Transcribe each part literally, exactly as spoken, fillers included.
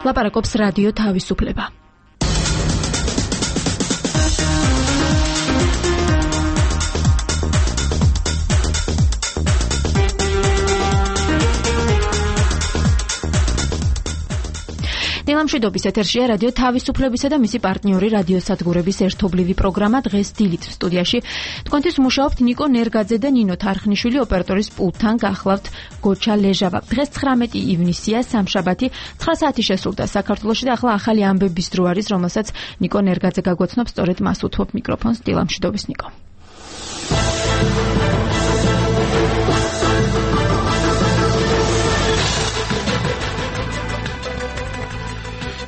ლაპარაკობს რადიო თავისუფლება. ნილამშვიდობის ეთერშია რადიო თავისუფლებისა და მისი პარტნიორი რადიოსადგურების ერთობლივი პროგრამა დღეს დილით სტუდიაში. თქვენთვის მუშაობთ ნიკო ნერგაძე და ნინო თარხნიშვილი, ოპერატორის პულტთან გახლავთ გოჩა ლეჟავა. დღეს ცხრამეტი ივნისია, სამშაბათი, ცხრა საათი შესრულდა საქართველოში და ახლა ახალი ამბების დრო არის, რომელსაც ნიკო ნერგაძე გაგვაცნობს, სწორედ მას უთმობ მიკროფონს. ნილამშვიდობის ნიკო.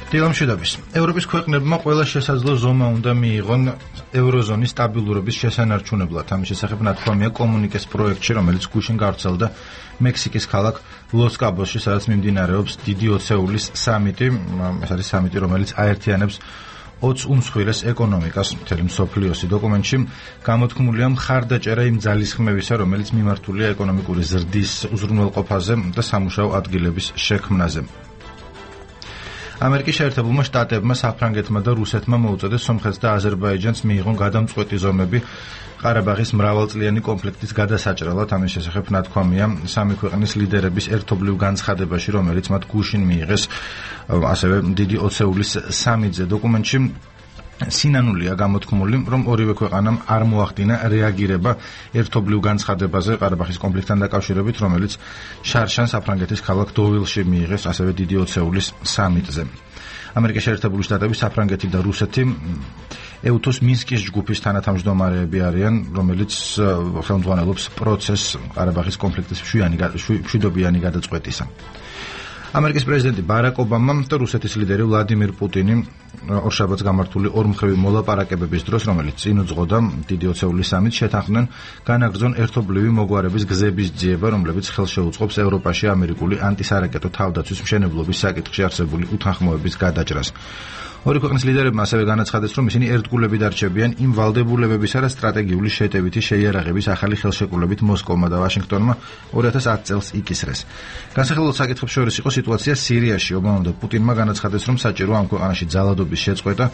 დილამშვიდობის. ევროპის ქვეყნებმა ყველა შესაძლო ზომა უნდა მიიღონ ევროზონის სტაბილურობის შესანარჩუნებლად. ამის შესახებ ნათქვამია კომუნიკეს პროექტში, რომელიც გუშინ გავრცელდა მექსიკის ქალაქ ლოს-კაბოსში, სადაც მიმდინარეობს დიდი ოცეულის სამიტი. ეს არის სამიტი, რომელიც აერთიანებს ოცს უმსხვილეს ეკონომიკას მთელი მსოფლიოსი. დოკუმენტში გამოთქმულია მხარდაჭერა იმ ძალისხმევისა, რომელიც მიმართულია ეკონომიკური ზრდის უზრუნველყოფაზე და სამუშაო ადგილების შექმნაზე. ამერიკის შეერთებულმა შტატებმა, საფრანგეთმა და რუსეთმა მოუწოდეს სომხეთს და აზერბაიჯანს მიიღონ გადამწყვეტი ზომები ყარაბაღის მრავალწლიანი კონფლიქტის გადასაჭრელად. ამის შესახებ ნათქვამია სამი ქვეყნის ლიდერების ერთობლივ განცხადებაში, რომელიც მათ გუშინ მიიღეს ასევე დიდი ოცეულის სამიტზე. დოკუმენტში სინანულია გამოთქმული, რომ ორივე ქვეყანამ არ მოახდინა რეაგირება ერთობლივ განცხადებაზე ყარაბაღის კონფლიქტთან დაკავშირებით, რომელიც შარშან საფრანგეთის ქალაქ დოვილში მიიღეს ასევე დიდი ოცეულის სამიტზე. ამერიკის შეერთებული შტატები, საფრანგეთი და რუსეთი ეუთოს მინსკის ჯგუფის თანათავმჯდომარეები არიან, რომელიც ხელმძღვანელობს პროცესს ყარაბაღის კონფლიქტის მშვიდობიანი გადაწყვეტისა. ამერიკის პრეზიდენტი ბარაკ ობამა და რუსეთის ლიდერი ვლადიმირ პუტინი ორშაბათს გამართული ორმხრივი მოლაპარაკებების დროს, რომელიც წინ უძღოდა დიდი ოცეულის სამიტს, შეთანხმდნენ განაგრძონ ერთობლივი მოგვარების გზების ძიება, რომლებიც ხელს შეუწყობს ევროპაში ამერიკული ანტისარაკეტო თავდაცვის მშენებლობის საკითხში არსებული უთანხმოების გადაჭრას. ორი ქვეყნის ლიდერებმა ასევე განაცხადეს, რომ ისინი ერთგულებით არჩევიან იმ ვალდებულებებისა და სტრატეგიული შეტევითი შეიარაღების ახალი ხელშეკრულებით მოსკოვმა და ვაშინგტონმა ორი ათას ათი წელს იკისრეს. განსახილველ საკითხებს შორის იყო სიტუაცია სირიაში. ობამამ და პუტინმა განაცხადეს, რომ საჭირო ამ ქვეყანაში ძალადობის შეწყვეტა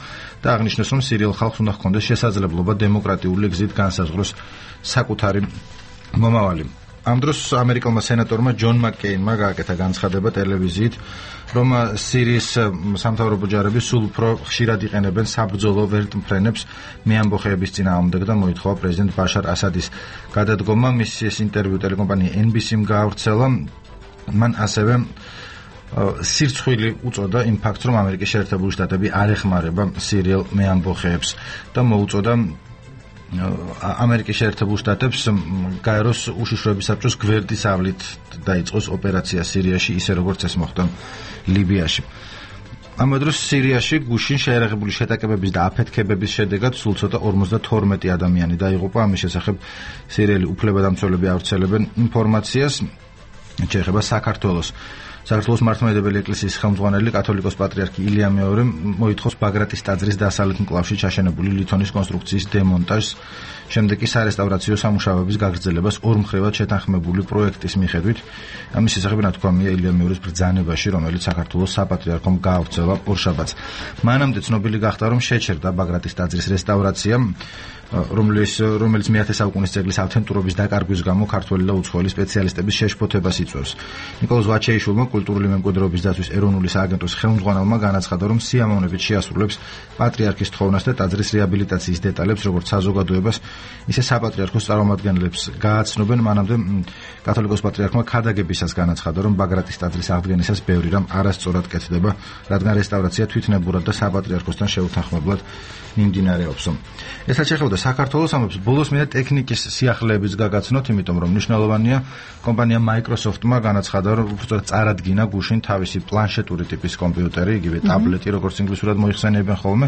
და აღნიშნეს, რომ სირიელ ხალხს უნდა ჰქონდეს შესაძლებლობა დემოკრატიული გზით განსაზღვროს საკუთარი მომავალი. ამ დროს ამერიკელმა სენატორმა ჯონ მაკკეინმა გააკეთა განცხადება ტელევიზიით, რომ სირიის სამთავრობო ჯარები სულ უფრო ხშირად იყენებენ საბრძოლო ვერტმფრენებს მეამბოხეების წინააღმდეგ და მოითხოვა პრეზიდენტ ბაშარ ასადის გადადგომა. მის ინტერვიუ ტელეკომპანია ენ ბი სი-მ გაავრცელა. მან ასევე სირცხვილი უწოდა იმ ფაქტს, რომ ამერიკის შეერთებული შტატები არ ეხმარება სირიელ მეამბოხეებს და მოუწოდა ამერიკის შეერთებულ შტატებს გაეროს უშიშროების საბჭოს გვერდის ავლით დაიწყოს ოპერაცია სირიაში, ისე როგორც ეს მოხდა ლიბიაში. ამ დროს სირიაში გუშინ შეიარაღებული შეტაკებების და აფეთქებების შედეგად სულ ცოტა ორმოცდათორმეტი ადამიანი დაიღუპა. ამის შესახებ სირიელი უფლებადამცველები ავრცელებენ ინფორმაციას. შეეხება საქართველოს. საქართველოს მართლმადიდებელი ეკლესიის ხელმძღვანელი კათოლიკოს პატრიარქი ილია მეორე მოითხოვს ბაგრატის ტაძრის დასავლეთ მკლავში ჩაშენებული ლითონის კონსტრუქციის დემონტაჟს. შემდეგ კი სარესტავრაციო სამუშაოების გაგრძელებას ორმხრივად შეთანხმებული პროექტის მიხედვით. ამის შესახებ ნათქვამია ილია მეორის ბრძანებაში, რომელიც საქართველოს საპატრიარქომ გაავრცელა ორშაბათს. მანამდე ცნობილი გახდა, რომ შეჩერდა ბაგრატის ტაძრის რესტავრაცია, რომელიც რომელიც მეათე საუკუნის ძეგლის ავთენტურობის დაკარგვის გამო ქართველი და უცხოელი სპეციალისტების შეშფოთებას იწვევს. ნიკოლოზ ვაჩეიშვილმა, კულტურული მემკვიდრეობის დაცვის ეროვნული სააგენტოს ხელმძღვანელმა, განაცხადა, რომ სიამოვნებით შეასრულებს პატრიარქის თხოვნას და ტაძრის რეაბილიტაციის დეტალებს, როგორც საზოგადოებას, ისე საპატრიარქოს წარმომადგენლებს გააცნობენ. მანამდე კათოლიკოს პატრიარქმა ქადაგებისას განაცხადა, რომ ბაგრატის ტაძრის აღდგენისას ბევრი რამ არასწორად კეთდება, რადგან რესტავრაცია თვითნებურად და საპატრიარქოსთან შეუთანხმებლად მიმდინარეობს. ესაც შეეხება საქართველოს ამბობს, ბოლოს მინდა ტექნიკის სიახლეების გაგაცნოთ, იმიტომ რომ მნიშვნელოვანია კომპანია Microsoft-მა განაცხადა, რომ უბრალოდ წარადგინა გუშინ თავისი პლანშეტური ტიპის კომპიუტერი, იგივე ტაბლეტი, როგორც ინგლისურად მოიხსენიებენ ხოლმე,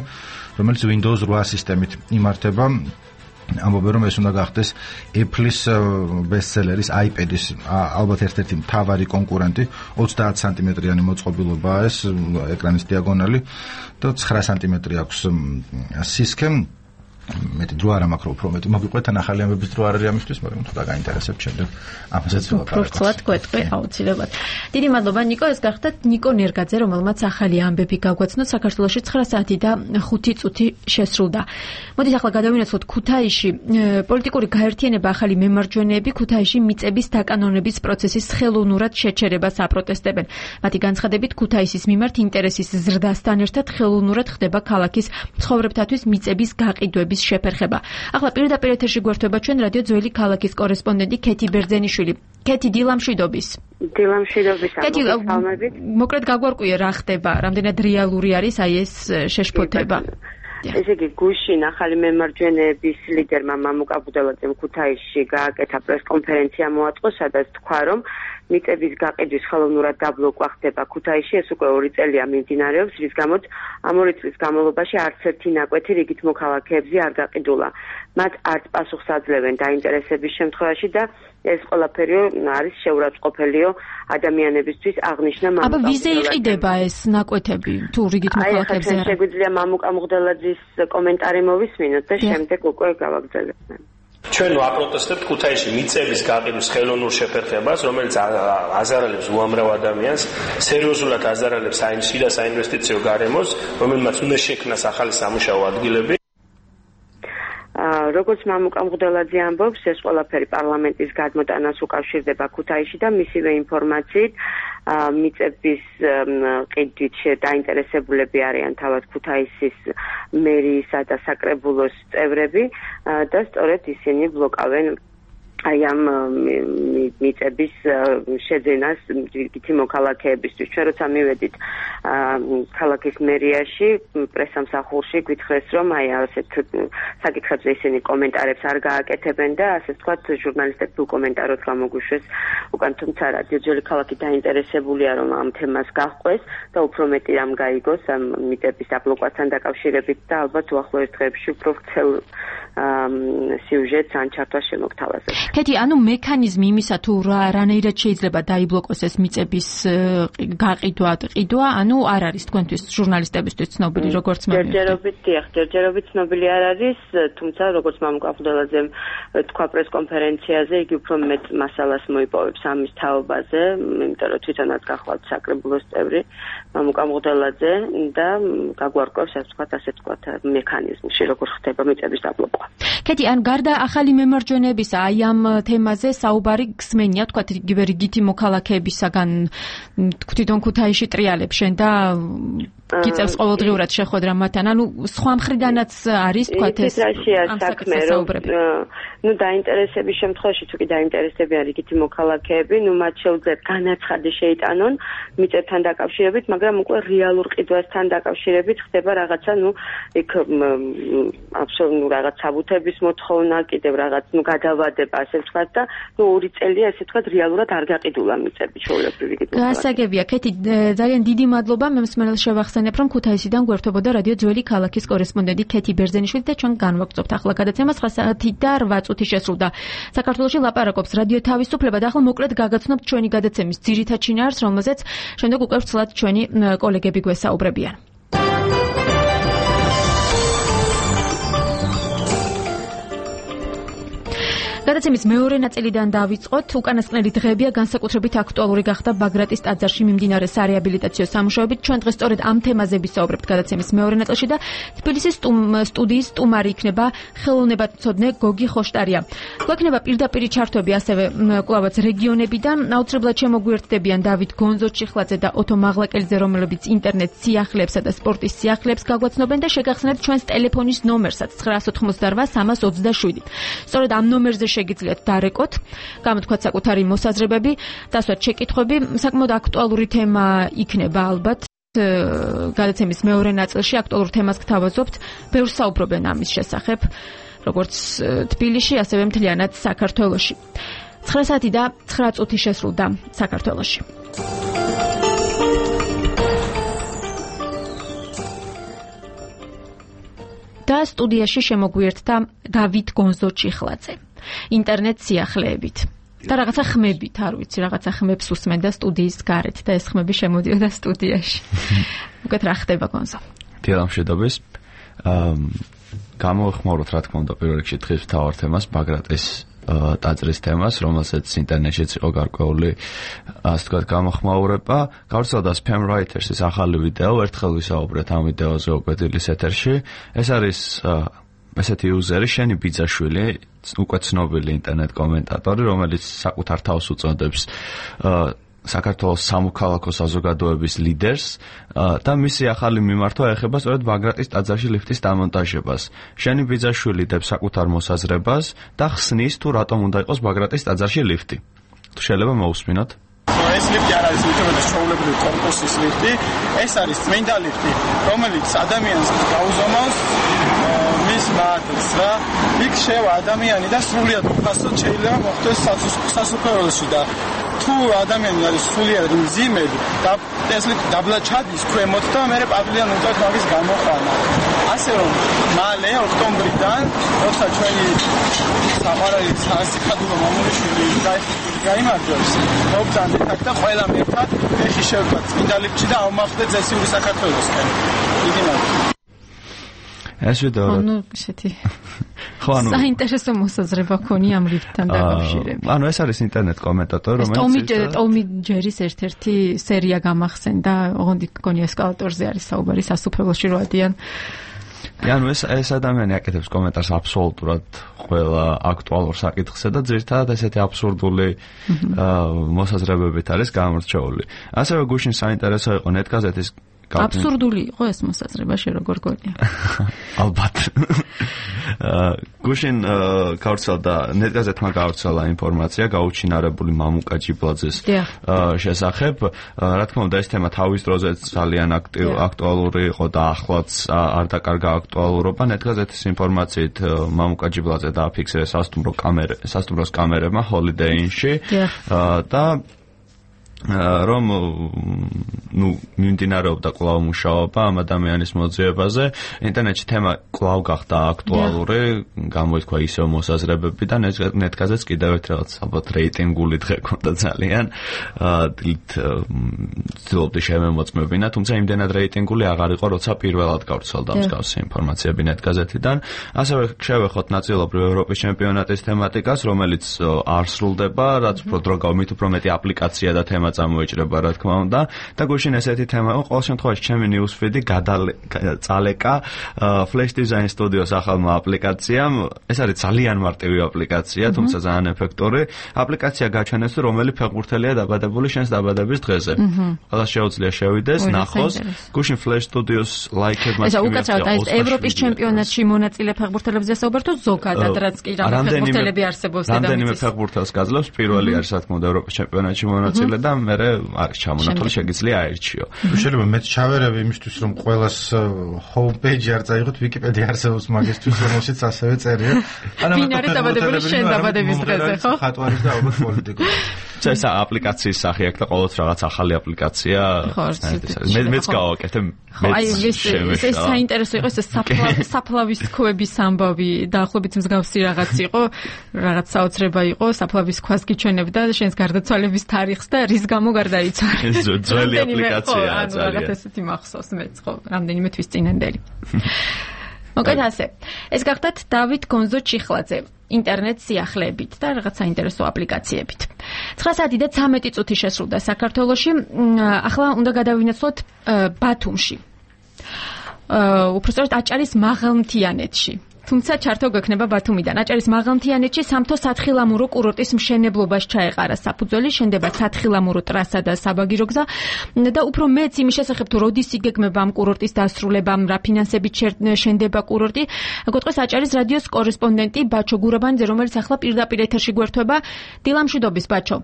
რომელიც Windows რვა სისტემით იმართება. ამბობენ, რომ ეს უნდა გახდეს Apple-ის ბესტსელერის iPad-ის ალბათ ერთ-ერთი მთავარი კონკურენტი. ოცდაათი სანტიმეტრიანი მოწყობილობაა ეს ეკრანის დიაგონალი და ცხრა სანტიმეტრი აქვს სისქე. მეტი დრო არ მაქვს უფრო მეტი მოგიყვეთ ან ახალი ამბების დრო არ არის ამისთვის, მაგრამ თუ დაგაინტერესებთ შემდეგ ამასაც ვილაპარაკოთ. უბრალოდ გვეტყვი აუცილებლად. დიდი მადლობა ნიკო, ეს გახდათ ნიკო ნერგაძე, რომელმაც ახალი ამბები გაგვაცნოთ. საქართველოში ცხრა საათი და ხუთი წუთი შესრულდა. მოდით ახლა გადავინაცვლოთ ქუთაისში. პოლიტიკური გაერთიანება ახალი მემარჯვენეები ქუთაისში მიწების დაკანონების პროცესის ხელოვნურად შეჩერებას აპროტესტებენ. მათი განცხადებით ქუთაისის მიმართ ინტერესის ზრდასთან ერთად ხელოვნურად ხდება ქალაქის მცხოვრებთათვის მიწების გაყიდვების შეფერხება. ახლა პირდაპირ ეთერში გვერდება ჩვენ რადიო ძველი ქალაქის კორესპონდენტი ქეთი ბერძენიშვილი. ქეთი, დილამშვიდობის. დილამშვიდობის. ქეთი, მოკლედ გაგვარკვიე რა ხდება, რამდენად რეალური არის აი ეს შეშფოთება. ესე იგი, გუშინ ახალი მემარჯვენეების ლიდერმა მამუკა ბუდელაძემ ქუთაისში გააკეთა პრესკონფერენცია მოაწყო, სადაც თქვა, რომ მიწების გაყიდვის ხელოვნურად დაბლოკვა ხდება ქუთაისში, ეს უკვე ორი წელია მიმდინარეობს, რის გამოც ამ ორი წლის განმავლობაში არც ერთი ნაკვეთი რიგით მოქალაქეებზე არ გაყიდულა. მათ არც პასუხს აძლევენ დაინტერესების შემთხვევაში და ეს ყველაფერი არის შეურაცხყოფელიო ადამიანებისთვის, აღნიშნა მამუკა. აბა ვიზე იყიდება ეს ნაკვეთები თუ რიგით მოქალაქეებზე? აი, შეგვიძლია მამუკა ბუდელაძის კომენტარი მოვისმინოთ და შემდეგ უკვე გავაგრძელებთ. ჩვენ ვაპროტესტებთ ქუთაისში მიწების გაყიდვის ხელოვნურ შეფერხებას, რომელიც აზარალებს უამრავ ადამიანს, სერიოზულად აზარალებს საინვესტიციო და საინვესტიციო გარემოს, რომელმაც უნდა შექმნას ახალი სამუშაო ადგილები. როგორც მამუკა ბუდელაძე ამბობს, ეს ყველაფერი პარლამენტის გადმოტანას უკავშირდება ქუთაისში და მისივე ინფორმაციით მიწების ყიდვით დაინტერესებულები არიან თავად ქუთაისის მერიისა და საკრებულოს წევრები და სწორედ ისინი ბლოკავენ აი ამ მიწების შეძენას რიგითი მოქალაქეებისთვის. ჩვენ როცა მივედით ქალაქის მერიაში, პრესამსახურში გვითხრეს, რომ აი ასეთ საკითხებზე ისინი კომენტარებს არ გააკეთებენ და ასე ვთქვათ, ჟურნალისტებს თუ კომენტარებს გამოგვიშვეს უკან, თუმცა რადიო ძველი ქალაქი დაინტერესებულია, რომ ამ თემას გაჰყვეს და უფრო მეტი რამ გაიგოს ამ მიწების დაბლოკვასთან დაკავშირებით და ალბათ უახლოეს დღეებში უფრო ვრცელ სიუჟეტს ან ჩართვას შემოგთავაზებთ. ქეთი, ანუ მექანიზმი იმისა თუ რანაირად შეიძლება დაიბლოკოს ეს მიწების გაყიდვა, ყიდვა, ანუ არ არის თქვენთვის ჟურნალისტებისთვის ცნობილი, როგორც მემარჯვენე. ჯერჯერობით, დიახ, ჯერჯერობით ცნობილი არ არის, თუმცა როგორც მამუკა ბუდელაძემ თქვა პრესკონფერენციაზე, იგი უფრო მეტ მასალას მოიპოვებს ამის თაობაზე, იმიტომ რომ თვითონაც გახლავთ საკრებულოს წევრი მამუკა ბუდელაძე და გაგვარკვევს, ასე ვთქვათ, ასე ვთქვათ, მექანიზმში, როგორ ხდება მიწების დაბლოკვა. ქეთი, ან გარდა ახალი მემარჯვენეებისა, აი ამ თემაზე საუბარი გსმენია, თქვათ, იგივე რიგითი მოქალაქეებისაგან თვითონ ქუთაისში ტრიალებს შენ და გიწევს ყოველდღიურად შეხვედრა მათთან, ანუ სხვა მხრიდანაც არის, თქვათ, ეს ამ საქმე, რომ ნუ დაინტერესების შემთხვევაში, თუ კი დაინტერესებიან რიგითი მოქალაქეები, ნუ მათ შეუძლიათ განაცხადი შეიტანონ მიწებთან დაკავშირებით, მაგრამ უკვე რეალურ ყიდვასთან დაკავშირებით ხდება რაღაცა, ნუ იქ აბსოლუტურად რაღაც საბუთების მოთხოვნა, კიდევ რაღაც ნუ გადავადება, ასე ვთქვათ და ნუ ორი წელია, ესე ვთქვათ, რეალურად არ გაყიდულა მიწები ჩვეულებრივი რიგით. გასაგებია, ქეთი, ძალიან დიდი მადლობა, მე მსმენელს შევახსენებ, რომ ქუთაისიდან გვერდებოდა რადიო ძველი ქალაქის კორესპონდენტი ქეთი ბერძენიშვილი და ჩვენ განვაგრძობთ ახლა გადაცემა ცხრა საათი და რვა წუთი შესრულდა. საქართველოში ლაპარაკობს რადიო თავისუფლება და ახლა მოკლედ გაგაცნობთ ჩვენი გადაცემის ძირითად შინაარსს, რომელზეც შემდეგ უკვე ვრცლად ჩვენი კოლეგები გვესაუბრებიან. გადაცემის მეორე ნაწილიდან დავიწყოთ. უკანასკნელი დღეებია განსაკუთრებით აქტუალური გახდა ბაგრატის ტაძარში მიმდინარე სარეაბილიტაციო სამუშაოებით. ჩვენ დღეს სწორედ ამ თემაზე ვისაუბრებთ გადაცემის მეორე ნაწილში და თბილისის სტუდიის სტუმარი იქნება ხელოვნებათმცოდნე გოგი ხოშტარია. გვექნება პირდაპირ ჩართვები ასევე კვლავაც რეგიონებიდან. აუცილებლად შემოგვიერთდებიან დავით გონზო-ჩიხლაძე და ოტო მაღლაკელიძე, რომლებიც ინტერნეტ სიახლეებსა და სპორტის სიახლეებს გაგაცნობენ და შეგახსენებთ ჩვენს ტელეფონის ნომერსაც ცხრა ოცდაოთხმოცდარვა სამას ოცდაშვიდი. სწორედ ამ ნომერზე შეგიძლიათ დარეკოთ, გამოთქვათ საკუთარი მოსაზრებები, დასვათ შეკითხვები, საკმაოდ აქტუალური თემა იქნება ალბათ. გადაცემის მეორე ნაწილში აქტუალურ თემას გთავაზობთ, ბევრს საუბრობენ ამის შესახებ, როგორც თბილისში, ასევე მთლიანად საქართველოში. ცხრა საათი და ცხრა წუთი შესრულდა საქართველოში. და სტუდიაში შემოგვიერთდა დავით გონზო-ჩიხლაძე. ინტერნეტ სიახლეებით და რაღაცა ხმებით, არ ვიცი, რაღაცა ხმებს უსმენდა სტუდიის გარეთ და ეს ხმები შემოდიოდა სტუდიაში. უკეთ რა ხდება გონზო? დილამშვიდობის. გამოეხმაუროთ რა თქმა უნდა პირველ რიგში დღის მთავარ თემას ბაგრატის ტაძრის თემას, რომელსაც ინტერნეტშიც იყო გარკვეული ასე ვთქვათ გამოხმაურება. გავრცელდა Spam Writers-ის ახალი ვიდეო, ერთხელ ვისაუბრეთ ამ ვიდეოზე უკვე დილის ეთერში. ეს არის ესეთი იუზერი შენი ბიძაშვილი, უკვე ცნობილი ინტერნეტ კომენტატორი, რომელიც საკუთარ თავს უწოდებს საქართველოს სამოქალაქო საზოგადოების ლიდერს და მისი ახალი მიმართვა ეხება სწორედ ბაგრატის ტაძარში ლიფტის დამონტაჟებას. შენი ბიძაშვილი დებს საკუთარ მოსაზრებას და ხსნის თუ რატომ უნდა იყოს ბაგრატის ტაძარში ლიფტი. თუ შეიძლება მოусმინოთ. ეს ლიფტი არ არის უჩვენეს ჩვეულებრივი კორპუსის ლიფტი, ეს არის წმინდა ლიფტი, რომელიც ადამიანს გაუზომავს მის მადლს რა. იქ შევა ადამიანი და სრულიად უფასოდ შეიძლება მოხდეს სასუფეველში და თუ ადამიანი არის სრულიად მძიმედ და ეს ლიფტი დაბლა ჩადის ქვემოთ და მე პავლიან უწევთ მაგის გამოყვანა. ასე რომ მალე ოქტომბრიდან როცა ჩვენი საყვარელი სასიკადულო მამულიშვილი გაიმარჯვებს მოგზავნეთ აქ და ყველა ერთად ფეხი შევკვათ წმინდა ლიფტში და ავმახდეთ ზესიური საქართველოსკენ. დიდი მადლობა. ეს ვიდეო ანუ ისეთი საინტერესო მოსაზრება ქონია ამ ლიფტთან დაკავშირებით. ანუ ეს არის ინტერნეტ კომენტატორი, რომელიც ტომი ტომი ჯერის ერთ-ერთი სერია გამახსენდა, ოღონდ გონია ესკალატორზე არის საუბარი სასუფეველში რო ადიან. ანუ ეს ეს ადამიანი აკეთებს კომენტარს აბსოლუტურად ყველა აქტუალურ საკითხზე და ძირითადად ესეთი აბსურდული მოსაზრებებით არის გამორჩეული. ასევე გუშინ საინტერესო იყო ნეტგაზეთის აბსურდული იყო ეს მოსაზრება შე როგორ გონია? ალბათ. გუშინ გავრცელდა ნეტგაზეთმა გავრცელა ინფორმაცია გაუჩინარებული მამუკა ჯიბლაძის შესახებ. რა თქმა უნდა ეს თემა თავის დროზე ძალიან აქტუალური იყო და ახლაც არ დაკარგა აქტუალურობა. ნეტგაზეთის ინფორმაციით მამუკა ჯიბლაძე დააფიქსირეს სასტუმრო კამერა სასტუმროს კამერებმა Holiday Inn-ში და რომ ნუ მიმდინარეობდა კვლავ მუშაობა ამ ადამიანის მოძიებაზე. ინტერნეტში თემა კვლავ გახდა აქტუალური, გამოითქვა ისევ მოსაზრებები და ნეტგაზეთს კიდევ ერთ რაღაც ალბათ რეიტინგული დღე ქონდა ძალიან. დილით ცდილობდი შემემოწმებინა, თუმცა იმდენად რეიტინგული აღარ იყო, როცა პირველად გავრცელდა მსგავსი ინფორმაციები ნეტგაზეთიდან. ასევე შევეხოთ ნაწილობრივ ევროპის ჩემპიონატის თემატიკას, რომელიც არ სრულდება, რაც უფრო დრო გავმით უფრო მეტი აპლიკაცია და თემა წამოიჭრება რა თქმა უნდა და გუშინ ესეთი თემა იყო ყოველ შემთხვევაში ჩემი newsfeed-ი წალეკა Flash Design Studio-ს ახალმა აპლიკაციამ. ეს არის ძალიან მარტივი აპლიკაცია, თუმცა ძალიან ეფექტური. აპლიკაცია გაჩვენეს თუ რომელი ფეხბურთელია დაბადებული შენს დაბადების დღეზე. ყველას შეუძლია შევიდეს, ნახოს. გუშინ Flash Studio-ს ლაიქებმა ეს უკაცრავად ეს ევროპის ჩემპიონატში მონაწილე ფეხბურთელებზე საუბართ თუ ზოგადად რაც კი რა ფეხბურთელები არსებობს და რამდენიმე ფეხბურთელს გაძლევს. პირველი არის რა თქმა უნდა ევროპის ჩემპიონატში მონაწილე და მე არის ჩამონათული შეგიძლია აერჩიო. შეიძლება მეც ჩავერევი იმისთვის რომ ყველას ჰომპეიჯი არ წაიღოთ ვიკიპედია არსებობს მაგისთვის რომელშიც ასევე წერია. ვინ არის დაბადებული შენ დაბადების დღეზე ხო? ხატვარის და ალბათ პოლიტიკოსი. ეს აპლიკაციის სახე აქვს და ყოველთვის რაღაც ახალი აპლიკაცია. მე მეც გავაკეთე. აი ეს ეს საინტერესო იყო ეს საფლავის ქვების ამბავი დაახლოებით მსგავსი რაღაც იყო, რაღაც საოცრება იყო, საფლავის ქვას გიჩვენებდა შენს გარდაცვალების თარიღს და რის გამო გარდაიცვალე. ეს ძველი აპლიკაციაა ძალიან. რაღაც ესეთი მახსოვს მეც ხო, რამდენიმე თვის წინანდელი. მოკლედ ასე. ეს გახდათ დავით გონზო ჩიხლაძე ინტერნეტ სიახლეებით და რაღაც საინტერესო აპლიკაციებით. ცხრა საათი და ცამეტი წუთი შესრულდა საქართველოში. ახლა უნდა გადავინაცვლოთ ბათუმში. უბრალოდ აჭარის მაღალმთიანეთში. თუმცა ჩართო გვექნება ბათუმიდან. აჭარის მაღალმთიანეთში სამთო სათხილამურო კურორტის მშენებლობას ჩაეყარა საფუძველი, შენდება სათხილამურო ტრასა და საბაგირო გზა და უფრო მეც იმის შესახებ თუ როდის იგეგმება ამ კურორტის დასრულება, რა ფინანსებით შენდება კურორტი, გეტყვის აჭარის რადიოს კორესპონდენტი ბაჩო გურაბანიძე, რომელიც ახლა პირდაპირ ეთერში გვერდება. დილამშვიდობის ბაჩო.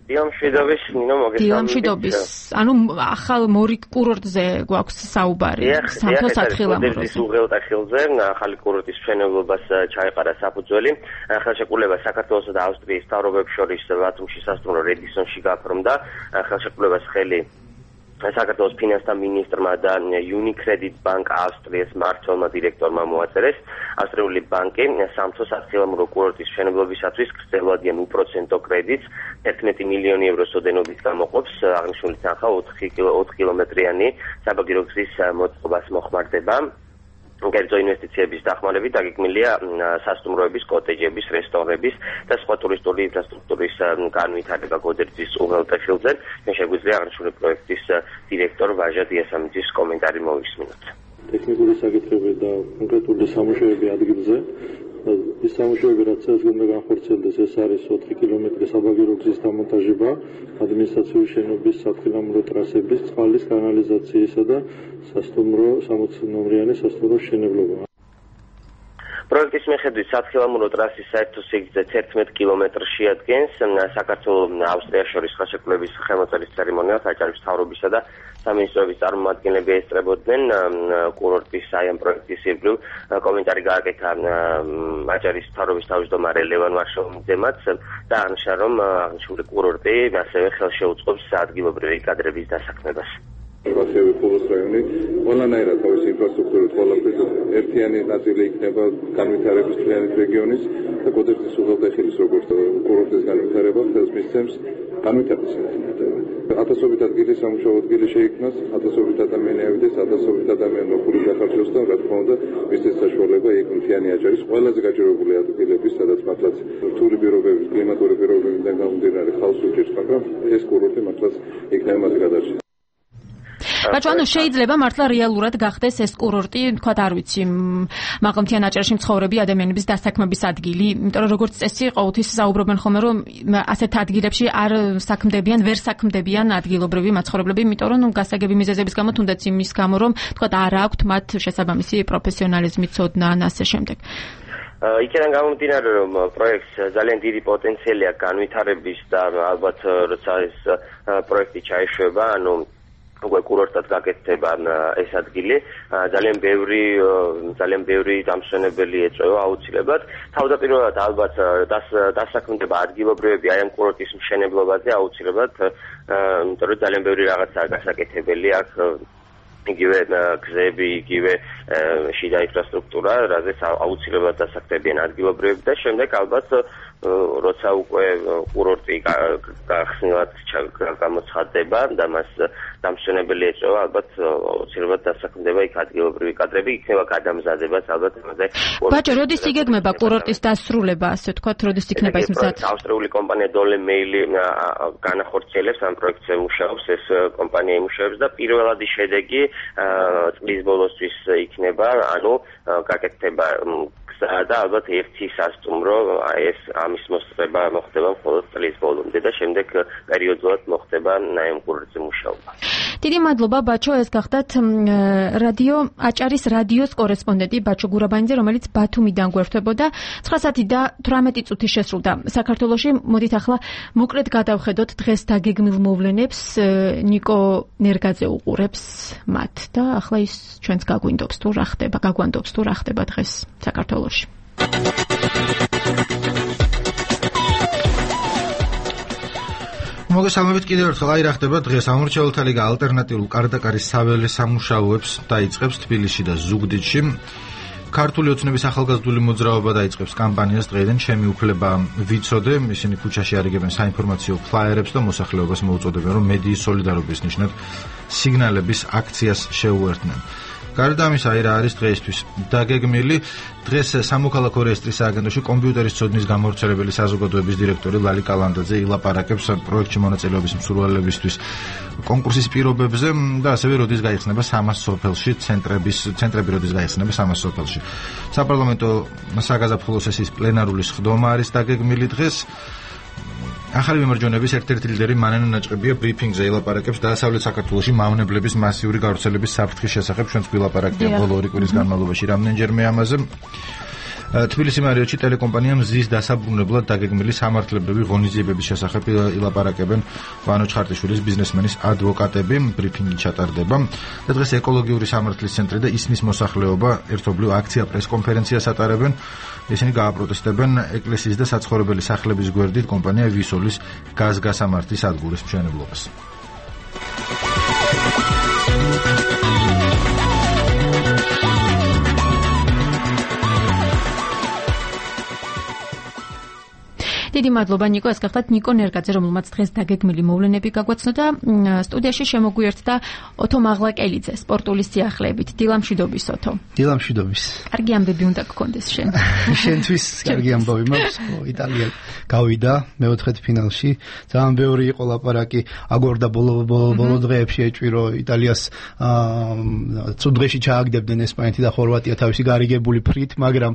დილამშვიდობის, ნინო მოგესალმებით. დილამშვიდობის. ანუ ახალ მორიგ კურორტზე გვაქვს საუბარი. სამთო სათხილამუროზე. ეს უღელტახილზე ახალი კურორტის მშენებლობას ჩაეყარა საფუძველი. ხელშეკრულება საქართველოსა და ავსტრიის მთავრობებს შორის ბათუმში სასტუმრო რედისონში გაფორმდა. ხელშეკრულებას ხელი საქართველოს ფინანსთა მინისტრმა და Unicredit Bank ავსტრიის მმართველმა დირექტორმა მოაწერეს. ავსტრიული ბანკი სამთო სათხილამურო კურორტის მშენებლობისათვის გრძელვადიან უპროცენტო კრედიტს ერთმეტი მილიონი ევროს ოდენობით გამოყოფს. აღნიშნული თანხა ოთხი კილომეტრიანი საბაგირო გზის მოწყობას მოხმარდება. კერძო ინვესტიციების დახმარებით დაგეგმილია სასტუმროების, კოტეჯების, რესტორნების და სხვა ტურისტული ინფრასტრუქტურის განვითარება გოდერძის უღელტეხილზე. მე შეგვიძლია აღნიშნული პროექტის დირექტორ ვაჟა დიასამიძის კომენტარი მოვისმინოთ. ტექნიკური საკითხები და კონკრეტული სამუშაოები ადგილზე. ის სამუშაოები რაც ეს უნდა განხორციელდეს, ეს არის ოთხი კილომეტრის საბაგირო გზის დამონტაჟება, ადმინისტრაციული შენობის სათხილამურო ტრასების, წყლის კანალიზაციისა და სასტუმრო სამოცი ნომრიანი სასტუმრო შენებლობა. პროექტის მიხედვით სათხილამურო ტრასის საერთო სიგრძე თერთმეტ კილომეტრს შეადგენს. საქართველოს ავსტრიას შორის ხელშეკრულების ხელმოწერის ცერემონიალს აჭარის მთავრობისა და სამინისტროების წარმომადგენლები ესწრებოდნენ კურორტის აი ამ პროექტის ირგვლივ. კომენტარი გააკეთა აჭარის მთავრობის თავმჯდომარე ლევან ვარშავიძემაც და აღნიშნა, რომ აღნიშნული კურორტი ასევე ხელშეუწყობს ადგილობრივი კადრების დასაქმებას. ასევე ფულოს რაიონი ყველანაირად თავისი ინფრასტრუქტურით ყველაფრით ერთიანი ნაწილი იქნება განვითარების მთლიანის რეგიონის და გოდერძის უღელტეხილის როგორც კურორტის განვითარება ხელს მისცემს განვითარების ინტენსივობა. ათასობით ადგილი სამუშაო ადგილი შეიქმნას, ათასობით ადამიანი ავიდეს, ათასობით ადამიანი ნოხური გახარჯოს და რა თქმა უნდა მისცეს საშუალება იქ მთლიანი აჭარის ყველაზე გაჭირვებული ადგილების, სადაც მართლაც რთული პირობების, კლიმატური პირობებიდან გამომდინარე ხალხს უჭირს, მაგრამ ეს კურორტი მართლაც იქნება მას გადარჩენა. ბაჭო, ანუ შეიძლება მართლა რეალურად გახდეს ეს კურორტი, თქვათ არ ვიცი, მაღალმთიან აჭარაში მცხოვრები ადამიანების დასაქმების ადგილი, იმიტომ რომ როგორც წესი ყოველთვის საუბრობენ ხოლმე, რომ ასეთ ადგილებში არ საქმდებიან, ვერ საქმდებიან ადგილობრივი მაცხოვრებლები, იმიტომ რომ გასაგები მიზეზების გამო, თუნდაც იმის გამო, რომ თქვათ არ აქვთ მათ შესაბამისი პროფესიონალიზმი, ცოდნა და ასე შემდეგ. იქიდან გამომდინარე, რომ პროექტს ძალიან დიდი პოტენციალი აქვს განვითარების და ალბათ როცა ეს პროექტი ჩაეშვება, ანუ უკვე კურორტად გაკეთდება ეს ადგილი, ძალიან ბევრი ძალიან ბევრი დამსვენებელი ეწევა აუცილებლად. თავდაპირველად ალბათ დასაქმდება ადგილობრივები აი ამ კურორტის მშენებლობაზე აუცილებლად, იმიტომ რომ ძალიან ბევრი რაღაცაა გასაკეთებელი აქ, იგივე გზები, იგივე შიდა ინფრასტრუქტურა, რაზეც აუცილებლად დასაქმდებიან ადგილობრივები და შემდეგ ალბათ როცა უკვე კურორტი გახსნილად გამოცხადდება და მას დამსვენებელი ეწევა, ალბათ აუცილებლად დასაქმდება იქ ადგილობრივი კადრები, იქნება გადამზადებაც ალბათ ამაზე. ბაჭო, როდის იგეგმება კურორტის დასრულება, ასე ვთქვათ, როდის იქნება ის მზად? ავსტრიული კომპანია დოლე მეილი განახორციელებს ამ პროექტზე მუშაობს, ეს კომპანია იმუშავებს და პირველადი შედეგი წლის ბოლოსთვის იქნება, ანუ გაკეთდება და ალბათ ერთი სასტუმრო ეს ამის მოსწრება მოხდება მხოლოდ წლის ბოლომდე და შემდეგ პერიოდულად მოხდება ამ კურორტზე მუშაობა. დიდი მადლობა ბაჩო, ეს გახდათ რადიო აჭარის რადიოს კორესპონდენტი ბაჩო გურაბანიძე, რომელიც ბათუმიდან გვერდებოდა. ცხრა საათი და თვრამეტი წუთი შესრულდა საქართველოში. მოდით ახლა მოკლედ გადავხედოთ დღეს დაგეგმილ მოვლენებს. ნიკო ნერგაძე უყურებს მათ და ახლა ის ჩვენს გაგვინდობს თუ რა ხდება, გაგვანდობს თუ რა ხდება დღეს საქართველოში. მოგესალმებით კიდევ ერთხელ. აი რა ხდება დღეს. ამორჩეულთა ლიგა ალტერნატიულ კარდაკარის საველე სამუშაოებს დაიწყებს თბილისში და ზუგდიდში. ქართული ოცნების ახალგაზრდული მოძრაობა დაიწყებს კამპანიას დღეიდან ჩემი უფლება ვიცოდე. ისინი ქუჩაში არიგებენ საინფორმაციო ფლაიერებს და მოსახლეობას მოუწოდებენ, რომ მედიის სოლიდარობის ნიშნად სიგნალების აქციას შეუერთდნენ. გარდა ამისა, აი რა არის დღეისთვის დაგეგმილი. დღეს სამოქალაქო რეესტრის სააგენტოში კომპიუტერის ცოდნის გამავრცელებელი საზოგადოების დირექტორი ლალი კალანდაძე ილაპარაკებს პროექტში მონაწილეობის მსურველებისთვის კონკურსის პირობებზე და ასევე როდის გაიხსნება სამას სოფელში ცენტრების ცენტრები როდის გაიხსნება სამას სოფელში. საპარლამენტო საგაზაფხულო სესიის პლენარული სხდომა არის დაგეგმილი დღეს. ახალი მემარჯვენეების ერთ-ერთი ლიდერი მანენა ნაჭყებია ბრიფინგზე ილაპარაკებს დასავლეთ საქართველოში მავნებლების მასიური გავრცელების საფრთხის შესახებ. ჩვენს გვილაპარაკია ბოლო ორი კვირის განმავლობაში რამდენჯერმე ამაზე. თბილისი მარიოტში ტელეკომპანია მზის დასაბრუნებლად დაგეგმილი სამართლებრივი ღონისძიებების შესახებ ილაპარაკებენ ვანო ჩხარტიშვილის ბიზნესმენის ადვოკატები. ბრიფინგი ჩატარდება და დღეს ეკოლოგიური სამართლის ცენტრი და ისნის მოსახლეობა ერთობლივ აქცია პრესკონფერენციას ატარებენ. ისინი გააპროტესტებენ ეკლესიის და საცხოვრებელი სახლების გვერდით კომპანია ვისოლის გაზგასამართის სადგურის მშენებლობას. დიდი მადლობა ნიკო, ეს გახდათ ნიკო ნერგაძე, რომელმაც დღეს დაგეგმილი მოვლენები გაგვაცნო და სტუდიაში შემოგვიერთდა ოტო მაღლაკელიძე, სპორტული სიახლეებით. დილამშვიდობის ოტო. დილამშვიდობის. კარგი ამბები უნდა გქონდეს შენ. შენთვის კარგი ამბავი მაქვს. იტალია გავიდა მეოთხედ ფინალში. ძალიან ბევრი იყო ლაპარაკი, აგორდა ბოლო ბოლო დღეებში ეჭვირო იტალიას ცუდ დღეში ჩააგდებდნენ ესპანეთი და ხორვატია თავისი გარიგებული ფრით, მაგრამ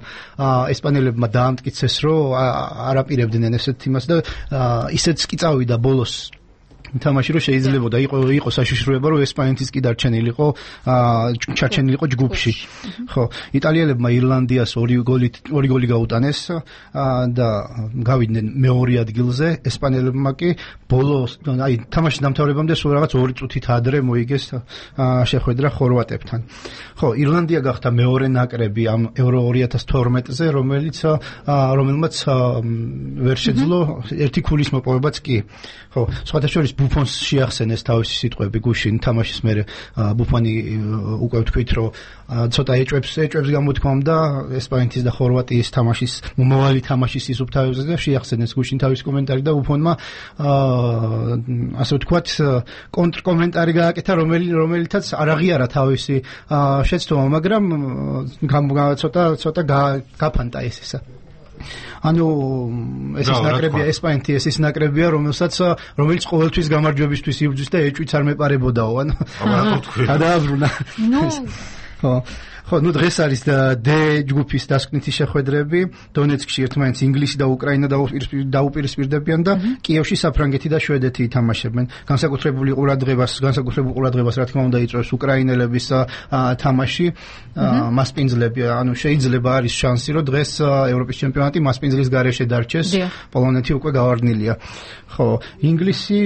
ესპანელებმა დაამტკიცეს, რომ არაპირებდნენ ესეთ იმას და ისეც კი წავიდა ბოლოს თამაში რომ შეიძლებოდა იყო იყო საშიშროება რომ ესპანეთის კი დარჩენილიყო ჩარჩენილიყო ჯგუფში. ხო, იტალიელებმა ირლანდიას ორი გოლი ორი გოლი გაუტანეს და გავიდნენ მეორე ადგილზე, ესპანელებმა კი ბოლოს აი თამაშის დამთავრებამდე სულ რაღაც ორი წუთით ადრე მოიგეს შეხვედრა ხორვატებთან. ხო, ირლანდია გახდა მეორე ნაკრები ამ ევრო ორი ათას თორმეტზე, რომელიც რომელმაც ვერ შეძლო ერთი ქულის მოპოვებაც კი. ხო, სხვათა შორის ბუფონს შეახსენეს თავისი სიტყვები გუშინ თამაშის მერე ბუფონი უკვე ვთქვით რომ ცოტა ეჭვებს ეჭვებს გამოთქვამდა ესპანეთის და ხორვატიის თამაშის მომავალი თამაშის სისუფთავეზე და შეახსენეს გუშინ თავის კომენტარი და ბუფონმა ასე ვთქვათ კონტრკომენტარი გააკეთა რომელიც რომელიცაც არ აღიარა თავისი შეცდომა, მაგრამ ცოტა ცოტა გაფანტა ეს ისა. ანუ ეს ის ნაკრებია ესპანეთი, ეს ის ნაკრებია, რომელსაც რომელიც ყოველთვის გამარჯვებისთვის იბრძვის და ეჭვიც არ მეპარებოდაო, ანუ გადააბრუნა. ხო, ხო, ნუ დღეს არის დ ჯგუფის დასკვნითი შეხვედრები, დონეცკში ერთმანეთს ინგლისი და უკრაინა დაუპირისპირდებიან და კიევში საფრანგეთი და შვედეთი ითამაშებენ. განსაკუთრებული ყურადღებას, განსაკუთრებულ ყურადღებას რა თქმა უნდა იწვევს უკრაინელების თამაში, მასპინძლები, ანუ შეიძლება არის შანსი, რომ დღეს ევროპის ჩემპიონატი მასპინძლის გარეშე დარჩეს, პოლონეთი უკვე გავარდნილია. ხო, ინგლისი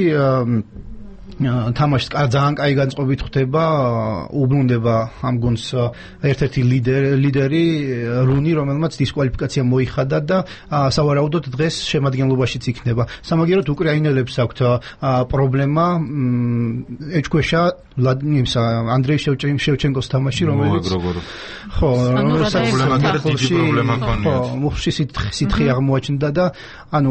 თამაშს ძალიან კაი განწყობით ხდება, უბრუნდება ამ გუნდს ერთ-ერთი ლიდერი რუნი, რომელმაც დისკვალიფიკაცია მოიხადა და სავარაუდოდ დღეს შემადგენლობაშიც იქნება. სამაგიეროდ უკრაინელებს აქვთ პრობლემა ეჭქვეშა ვლადიმირ ანდრეი შევჩენკოს თამაში, რომელიც ხო, დიდი პრობლემა ქონია. მუხში სითხე აღმოაჩნდა და ანუ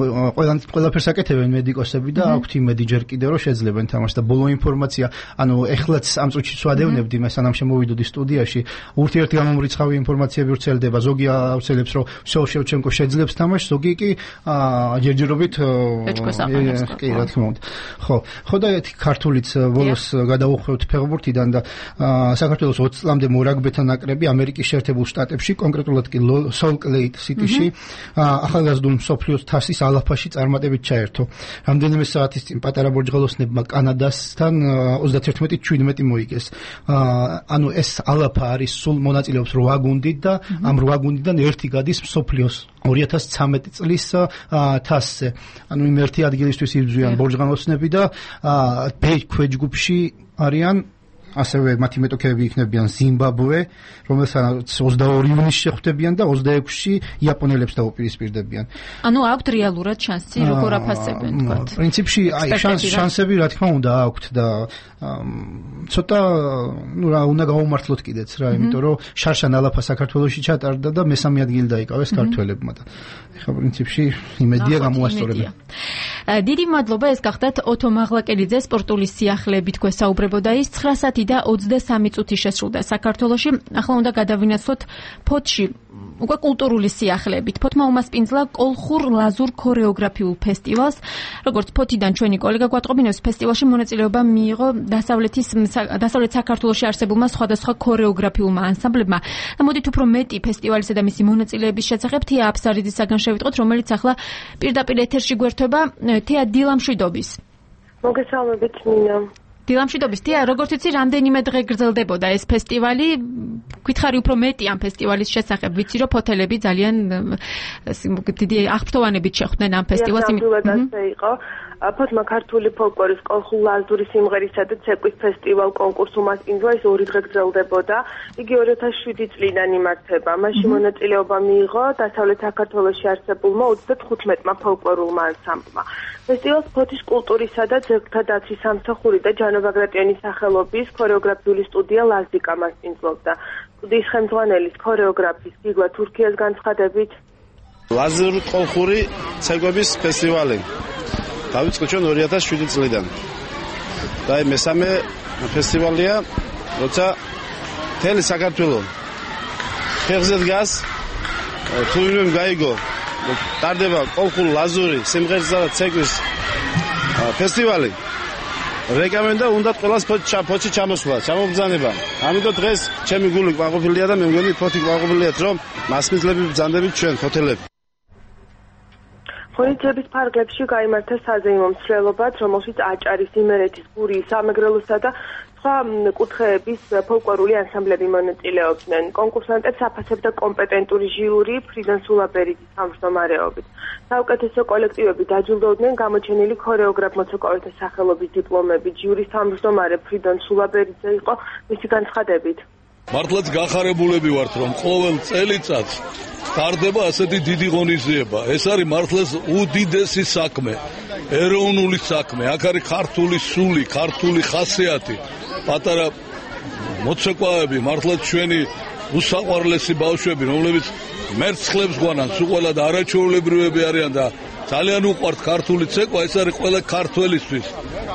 ყველაფერს აკეთებენ მედიკოსები და აქვთ იმედი ჯერ კიდევ რომ შეძლებენ თამაში და ბოლო ინფორმაცია, ანუ ეხლაც ამ წუთში ვადევნებდი, მე სანამ შემოვიდოდი სტუდიაში, ურთიერთ გამომრიცხავი ინფორმაციები ვრცელდება, ზოგი აუცილებს რომ всё შევჩენკო შეძლებს თამაშს, ზოგი კი ჯერჯერობით კი რა თქმა უნდა. ხო, ხო და ერთი ქართულიც ბოლოს გადაუხვევთ ფეხბურთიდან და საქართველოს ოცი წლამდე მორაგბეთა ნაკრები ამერიკის შეერთებულ შტატებში, კონკრეტულად კი სოლტ-ლეიკ სიტიში ახალგაზრდულ მსოფლიოს თასის ალაფაში წარმატებით ჩაერთო. რამდენიმე საათის წინ პატარა ბორჯღალოსნებმა კანადასთან ოცდაათი შვიდმეტი მოიგეს. ანუ ეს ალაფა არის სულ მონაწილეობს რვა გუნდით და ამ რვა გუნდიდან ერთი გადის მსოფლიოს ორი ათას ცხრამეტი წლის თასზე. ანუ იმ ერთი ადგილისთვის იბრძვიან ბორჯღალოსნები და ბ ქვეჯგუფში არიან ასევე მათი მეტოქეები იქნებიან ზიმბაბვე, რომელსაც ოცდაორი ივნისში შეხვდებიან და ოცდაექვსში იაპონელებს დაუპირისპირდებიან. ანუ აქვთ რეალურად შანსი როგორ აფასებენ თქვათ? პრინციპში აი შანსები რა თქმა უნდა აქვთ და ცოტა ნუ რა უნდა გავუმართლოთ კიდეც რა, იმიტომ რომ შარშან ალაფა საქართველოში ჩატარდა და მესამე ადგილი დაიკავეს ქართველებმა და ეხლა პრინციპში იმედია გამოასწორებენ. დიდი მადლობა, ეს გახდათ ოტო მაღლაკელიძე, სპორტული სიახლეებით გვესაუბრებოდა ის ცხრა საათი და ოცდასამი წუთი შესრულდა საქართველოში. ახლა უნდა გადავინაცვლოთ ფოთში უკვე კულტურული სიახლეებით. ფოთმა უმასპინძლა კოლხურ ლაზურ ქორეოგრაფიულ ფესტივალს. როგორც ფოთიდან ჩვენი კოლეგა გვატყობინებს, ფესტივალში მონაწილეობა მიიღო დასავლეთის დასავლეთ საქართველოში არსებულმა სხვადასხვა ქორეოგრაფიულმა ანსამბლებმა. მოდით უფრო მეტი ფესტივალისა და მისი მონაწილეების შესახებ თია აფსარიძისაგან შევიტყოთ, რომელიც ახლა პირდაპირ ეთერში გვერდება. თია, დილამშვიდობის. მოგესალმებით, მინა. დილამშვიდობის, თია, როგორც იცი, რამდენიმე დღე გრძელდებოდა ეს ფესტივალი. გითხარი უფრო მეტი ამ ფესტივალის შესახებ. ვიცი, რომ ფოთელები ძალიან დიდი აღფრთოვანებით შეხვდნენ ამ ფესტივალს. იყო ფოთმა ქართული ფოლკლორის კოლხურ-ლაზური სიმღერისა და ცეკვის ფესტივალ კონკურს უმასპინძლა, ის ორი დღე გრძელდებოდა. იგი ორი ათას შვიდი წლიდან იმართება. მასში მონაწილეობა მიიღო დასავლეთ საქართველოში არსებულმა ოცდათხუთმეტმა ფოლკლორულმა ანსამბლმა. ფესტივალს ფოთის კულტურისა და ძეგლთა დაცვის სამსახური და ჯანო-ბაგრატიონის სახელობის ქორეოგრაფიული სტუდია ლაზიკა მასპინძლობდა. სტუდიის ხელმძღვანელის ქორეოგრაფის გიგლა თურქიას განცხადებით, ლაზური ყოლხური ცეკვების ფესტივალი. დავიწყო ჩვენ ორი ათას შვიდი წლიდან. და მესამე ფესტივალია, როცა მთელი საქართველოს ფეხზე დგას, თუ ვინმე გაიგო, ტარდება ყოლხური ლაზური სიმღერისა და ცეკვის ფესტივალი. რეკომენდა უნდა ყველას ფოთი ჩამოსვლა, ჩამობრძანება. ამიტომ დღეს ჩემი გული ყვაყოფილია და მე მგონი ფოთი ყვაყოფილიათ, რომ მასმისლები ბრძანდებით ჩვენ ფოთელები. ხონიძების ფარგლებში გაიმართა საზეიმო მსვლელობაც, რომელშიც აჭარის, იმერეთის, გურიის, სამეგრელოსა და სხვა კუთხეების ფოლკლორული ანსამბლები მონაწილეობდნენ. კონკურსანტებს აფასებდა კომპეტენტური ჟიური ფრიდონ სულაბერიძის თავმჯდომარეობით. საუკეთესო კოლექტივები დაჯილდოვდნენ გამოჩენილი ქორეოგრაფ მოცეკოვეთა სახელობის დიპლომებით. ჟიურის თავმჯდომარე ფრიდონ სულაბერიძე იყო მისი განცხადებით. მართლაც გახარებულები ვართ, რომ ყოველ წელიწადს სტარდება ასეთი დიდი ღონისძიება. ეს არის მართლაც უდიდესი საქმე, ეროვნული საქმე. აქ არის ქართული სული, ქართული ხასიათი. პატარა მოცეკვავები, მართლაც ჩვენი უსაყვარლესი ბავშვები, რომლებიც მერცხლებს გვანან, სულ ყველა და არაჩვეულებრივები არიან და ძალიან უყვართ ქართული ცეკვა, ეს არის ყველა ქართველისთვის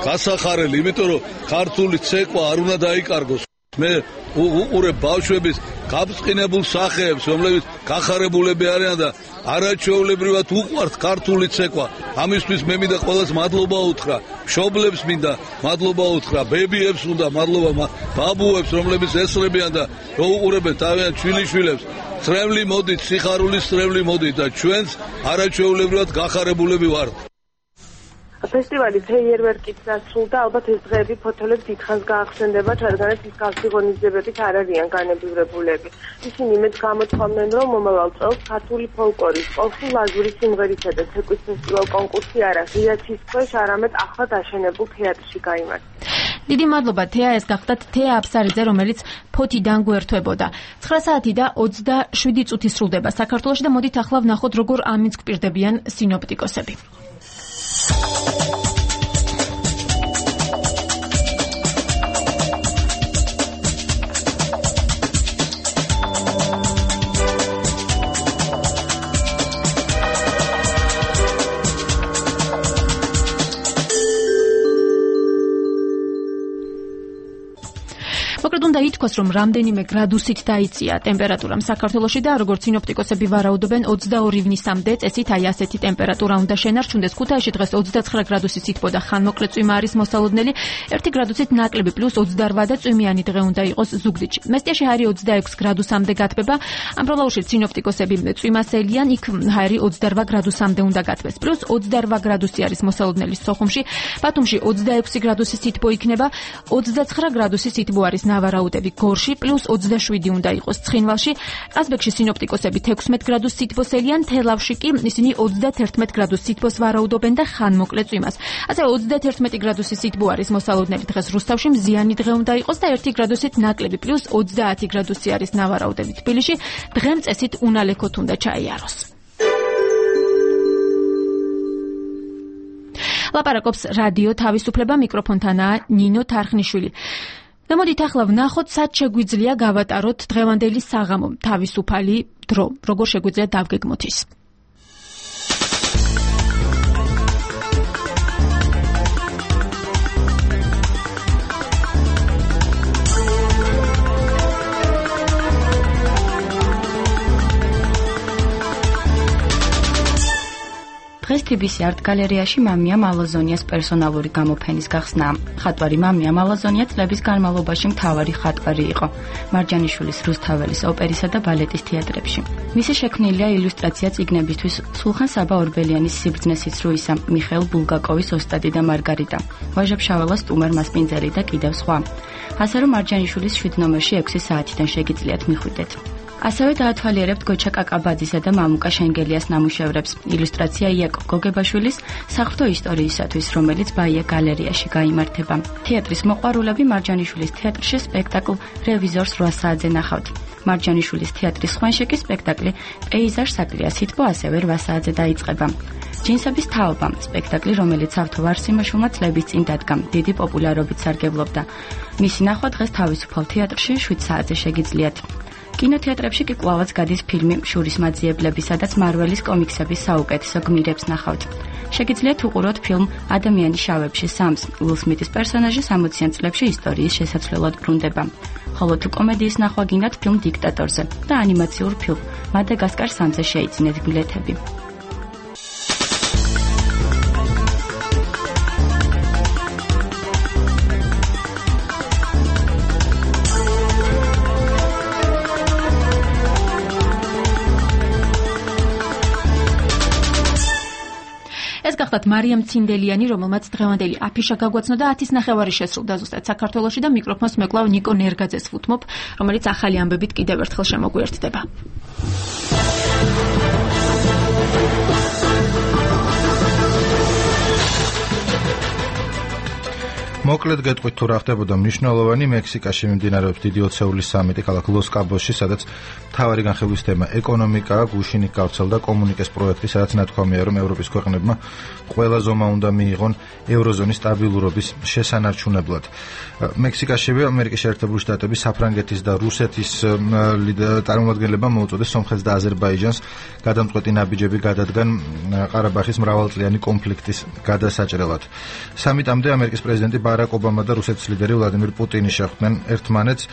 გასახარელი, იმიტომ რომ ქართული ცეკვა არ უნდა დაიკარგოს. მე უყურებ ბავშვების გაბწყინებულ სახეებს, რომლებიც გახარებულები არიან და არაჩვეულებრივად უყვართ ქართული ცეკვა. ამისთვის მე მინდა ყველას მადლობა უთხრა, მშობლებს მინდა მადლობა უთხრა, ბებიებს უნდა მადლობა, ბაბუებს, რომლებიც ესწრებიან და რო უყურებენ თავიანთ შვილიშვილებს. წრემლი მოდით, სიხარულის წრემლი მოდით და ჩვენც არაჩვეულებრივად გახარებულები ვართ. ფესტივალი ფეიერვერკით დასრულდა, ალბათ ეს დღეები ფოთოლებს დიდხანს გაახსენდებათ, რადგანაც ის გავსი ღონისძიებებით არ არიან განებივრებულები. ისინი მეც გამოთქვამდნენ, რომ მომავალ წელს ქართული ფოლკლორის, ყოლხური ლაზური სიმღერისა და ცეკვის ფესტივალ კონკურსი არა ღია ცის ქვეშ, არამედ ახლად აშენებულ თეატრში გაიმართა. დიდი მადლობა თეა, ეს გახდათ თეა აფსარიძე, რომელიც ფოთიდან გვერდთვებოდა. ცხრა საათი და ოცდაშვიდი წუთი სრულდება საქართველოში და მოდით ახლა ვნახოთ, როგორ ამის გვპირდებიან სინოპტიკოსები. მოკლედ უნდა ითქვას, რომ რამდენიმე გრადუსით დაიწია ტემპერატურამ საქართველოში და როგორც სინოპტიკოსები ვარაუდობენ ოცდაორი ივნისამდე წესით აი ასეთი ტემპერატურა უნდა შენარჩუნდეს. ქუთაისში დღეს ოცდაცხრა გრადუსი სითბო და ხანმოკლე წვიმა არის მოსალოდნელი, ერთი გრადუსით ნაკლები პლუს ოცდარვა და წვიმიანი დღე უნდა იყოს ზუგდიდში. მესტიაში არის ოცდაექვსი გრადუსამდე გათბება, ამბროლაურში სინოპტიკოსები წვიმასელიან, იქ ჰაერი ოცდარვა გრადუსამდე უნდა გათბეს. პლუს ოცდარვა გრადუსი არის მოსალოდნელი სოხუმში, ბათუმში ოცდაექვსი გრადუსი სითბო იქნება, ოცდაცხრა გრადუსი სითბო არის ნავარაუდები გორში, პლუს ოცდაშვიდი უნდა იყოს ცხინვალში, ყაზბეგში სინოპტიკოსები თექვსმეტ გრადუს სითბოსელიან, თელავში კი ისინი ოცდათერთმეტ გრადუს სითბოს ვარაუდობენ და ხანმოკლე წვიმას. ასევე ოცდათერთმეტი გრადუსი სითბო არის მოსალოდნელი დღეს რუსთავში, მზიანი დღე უნდა იყოს და ერთი გრადუსით ნაკლები, პლუს ოცდაათი გრადუსი არის ნავარაუდები თბილისში, დღემწესით უნალექოთ უნდა ჩაიაროს. ლაპარაკობს რადიო თავისუფლება, მიკროფონთანაა ნინო თარხნიშვილი. და მოდით ახლა ვნახოთ, სად შეგვიძლია გავატაროთ დღევანდელი საღამო თავისუფალი დრო, როგორ შეგვიძლია დავგეგმოთ ის. დღეს თი ბი სი არტ გალერეაში მამია მალაზონიას პერსონალური გამოფენის გახსნა. ხატვარი მამია მალაზონია წლების განმავლობაში მთავარი ხატვარი იყო მარჯანიშვილის რუსთაველის ოპერისა და ბალეტის თეატრებში. მისი შექმნილია ილუსტრაცია წიგნებისთვის სულხან საბა ორბელიანის სიბრძნე სიცრუისა, მიხეილ ბულგაკოვის ოსტატი და მარგარიტა, ვაჟა-ფშაველას სტუმარ მასპინძელი და კიდევ სხვა. ასე რომ მარჯანიშვილის შვიდ ნომერში ექვსი საათიდან შეგიძლიათ მიხვიდეთ. ასევე დაათვალიერებთ გოჩა კაკაბაძისა და მამუკა შენგელიას ნამუშევრებს. ილუსტრაცია იაკობ გოგებაშვილის საღვთო ისტორიისათვის, რომელიც ბაია გალერეაში გაიმართება. თეატრის მოყვარულები მარჯანიშვილის თეატრში სპექტაკლ რევიზორს რვა საათზე ნახავთ. მარჯანიშვილის თეატრის ხვენში კი სპექტაკლი პეიზაჟ საკლია სითბო ასევე რვა საათზე დაიწყება. ჯინსების თაობა სპექტაკლი, რომელიც ავთო ვარსიმაშვილმა წლების წინ დადგა, დიდი პოპულარობით სარგებლობდა. მისი ნახვა დღეს თავისუფალ თეატრში შვიდ საათზე შეგიძლიათ. კინოთეატრებში კი კვლავაც გადის ფილმი შურის მაძიებლები, სადაც მარველის კომიქსების საუკეთესო გმირებს ნახავთ. შეგიძლიათ უყუროთ ფილმ ადამიანის შავებში სამს. უილ სმითის პერსონაჟი სამოციან წლებში ისტორიის შესაძლებლად ბრუნდება. ხოლო თუ კომედიის ნახვა გინდათ ფილმ დიქტატორზე და ანიმაციურ ფილმ მადაგასკარ სამზე შეიძინეთ ბილეთები. გახდათ მარიამ ცინდელიანი, რომელმაც დღევანდელი აფიშა გაგვაცნო და ათის ნახევარი შესრულდა ზუსტად საქართველოში და მიკროფონს მეკლავ ნიკო ნერგაძეს ვუთმობ, რომელიც ახალი ამბებით კიდევ ერთხელ შემოგვიერთდება. მოკლედ გეტყვით თუ რა ხდებოდა მნიშვნელოვანი მექსიკაში მიმდინარეობს დიდი ოცეულის სამიტი ქალაქ ლოს-კაბოსში, სადაც მთავარი განხილვის თემა ეკონომიკაა, გუშინ იქ გავრცელდა კომუნიკეს პროექტი, სადაც ნათქვამია, რომ ევროპის ქვეყნებმა ყველა ზომა უნდა მიიღონ ევროზონის სტაბილურობის შესანარჩუნებლად. მექსიკაშივე ამერიკის შეერთებული შტატების, საფრანგეთის და რუსეთის წარმომადგენლებმა მოუწოდეს სომხეთს და აზერბაიჯანს გადამწყვეტი ნაბიჯები გადადგან ყარაბაღის მრავალწლიანი კონფლიქტის გადასაჭრელად. სამიტამდე ამერიკის პრეზიდენტი ბარაკ ობამა და რუსეთის ლიდერი ვლადიმირ პუტინი შეხვდნენ ერთმანეთს.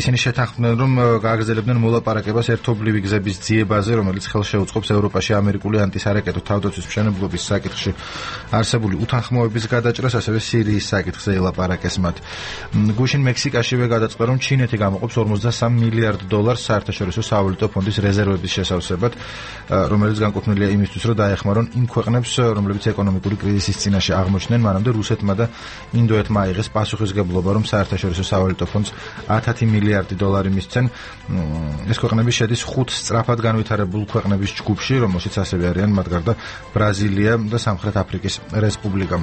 ისინი შეთანხმდნენ, რომ გააგრძელებდნენ მოლაპარაკებას ერთობლივი გზების ძიებაზე, რომელიც ხელს შეუწყობს ევროპაში ამერიკული ანტისარაკეტო თავდაცვის მშენებლობის საკითხში არსებული უთანხმოების გადაჭრას, ასევე სირიის საკითხზე ელაპარაკეს მათ. გუშინ მექსიკაშივე გადაწყდა, რომ ჩინეთი გამოყოფს ორმოცდასამ მილიარდ დოლარს საერთაშორისო სავალუტო ფონდის რეზერვების შესავსებად, რომელიც განკუთვნილია იმისთვის, რომ დაეხმარონ იმ ქვეყნებს, რომლებიც ეკონომიკური კრიზისის წინაშე აღმოჩნდნენ, მანამდე რუსეთმა და ინდოეთმა აიღეს პასუხისგებლობა, რომ საერთაშორისო სავალუტო ფონდს ათი მილიარდი დოლარი მისცენ. ეს ქვეყნები შედის ხუთ სწრაფად განვითარებულ ქვეყნების ჯგუფში, რომელშიც ასევე არიან მათ გარდა ბრაზილია და სამხრეთ აფრიკის რესპუბლიკა.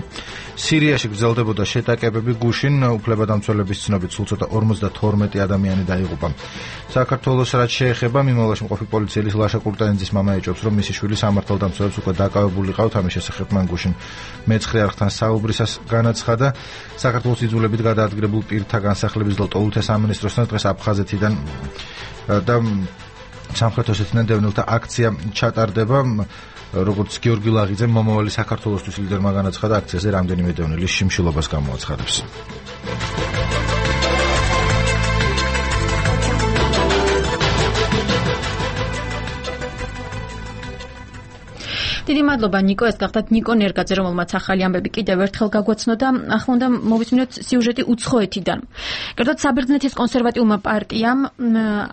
სირიაში გრძელდებოდა შეტაკებები გუშინ, უფლებადამცველების ცნობით სულ ცოტა ორმოცდათორმეტი ადამიანი დაიღუპა. საქართველოს რაც შეეხება, მიმოვლაში მყოფი პოლიციელის ლაშა კურტანიძის მამა ეჭვობს, რომ მისი შვილი სამართალდამცველებს უკვე დაკავებული ყავთ, ამის შესახებ მან გუშინ მეცხრე არხთან საუბრისას განაცხადა. საქართველოს იძულებით გადაადგილებულ პირთა განსახლების ლტოლუთა სამინისტროსთან დღეს აფხაზეთიდან და სამხრეთ ოსეთიდან დევნილთა აქცია ჩატარდება. როგორც გიორგი ლაღიძემ მომავალი საქართველოსთვის ლიდერმა განაცხადა, აქციაზე რამდენიმე დევნილის შიმშილობას გამოაცხადებს. დიდი მადლობა ნიკო, ეს გახდათ ნიკო ნერგაძე, რომელმაც ახალი ამბები კიდევ ერთხელ გაგვაცნო და ახლა უნდა მოვისმინოთ სიუჟეტი უცხოეთიდან. კერძოდ საბერძნეთის კონსერვატიულმა პარტიამ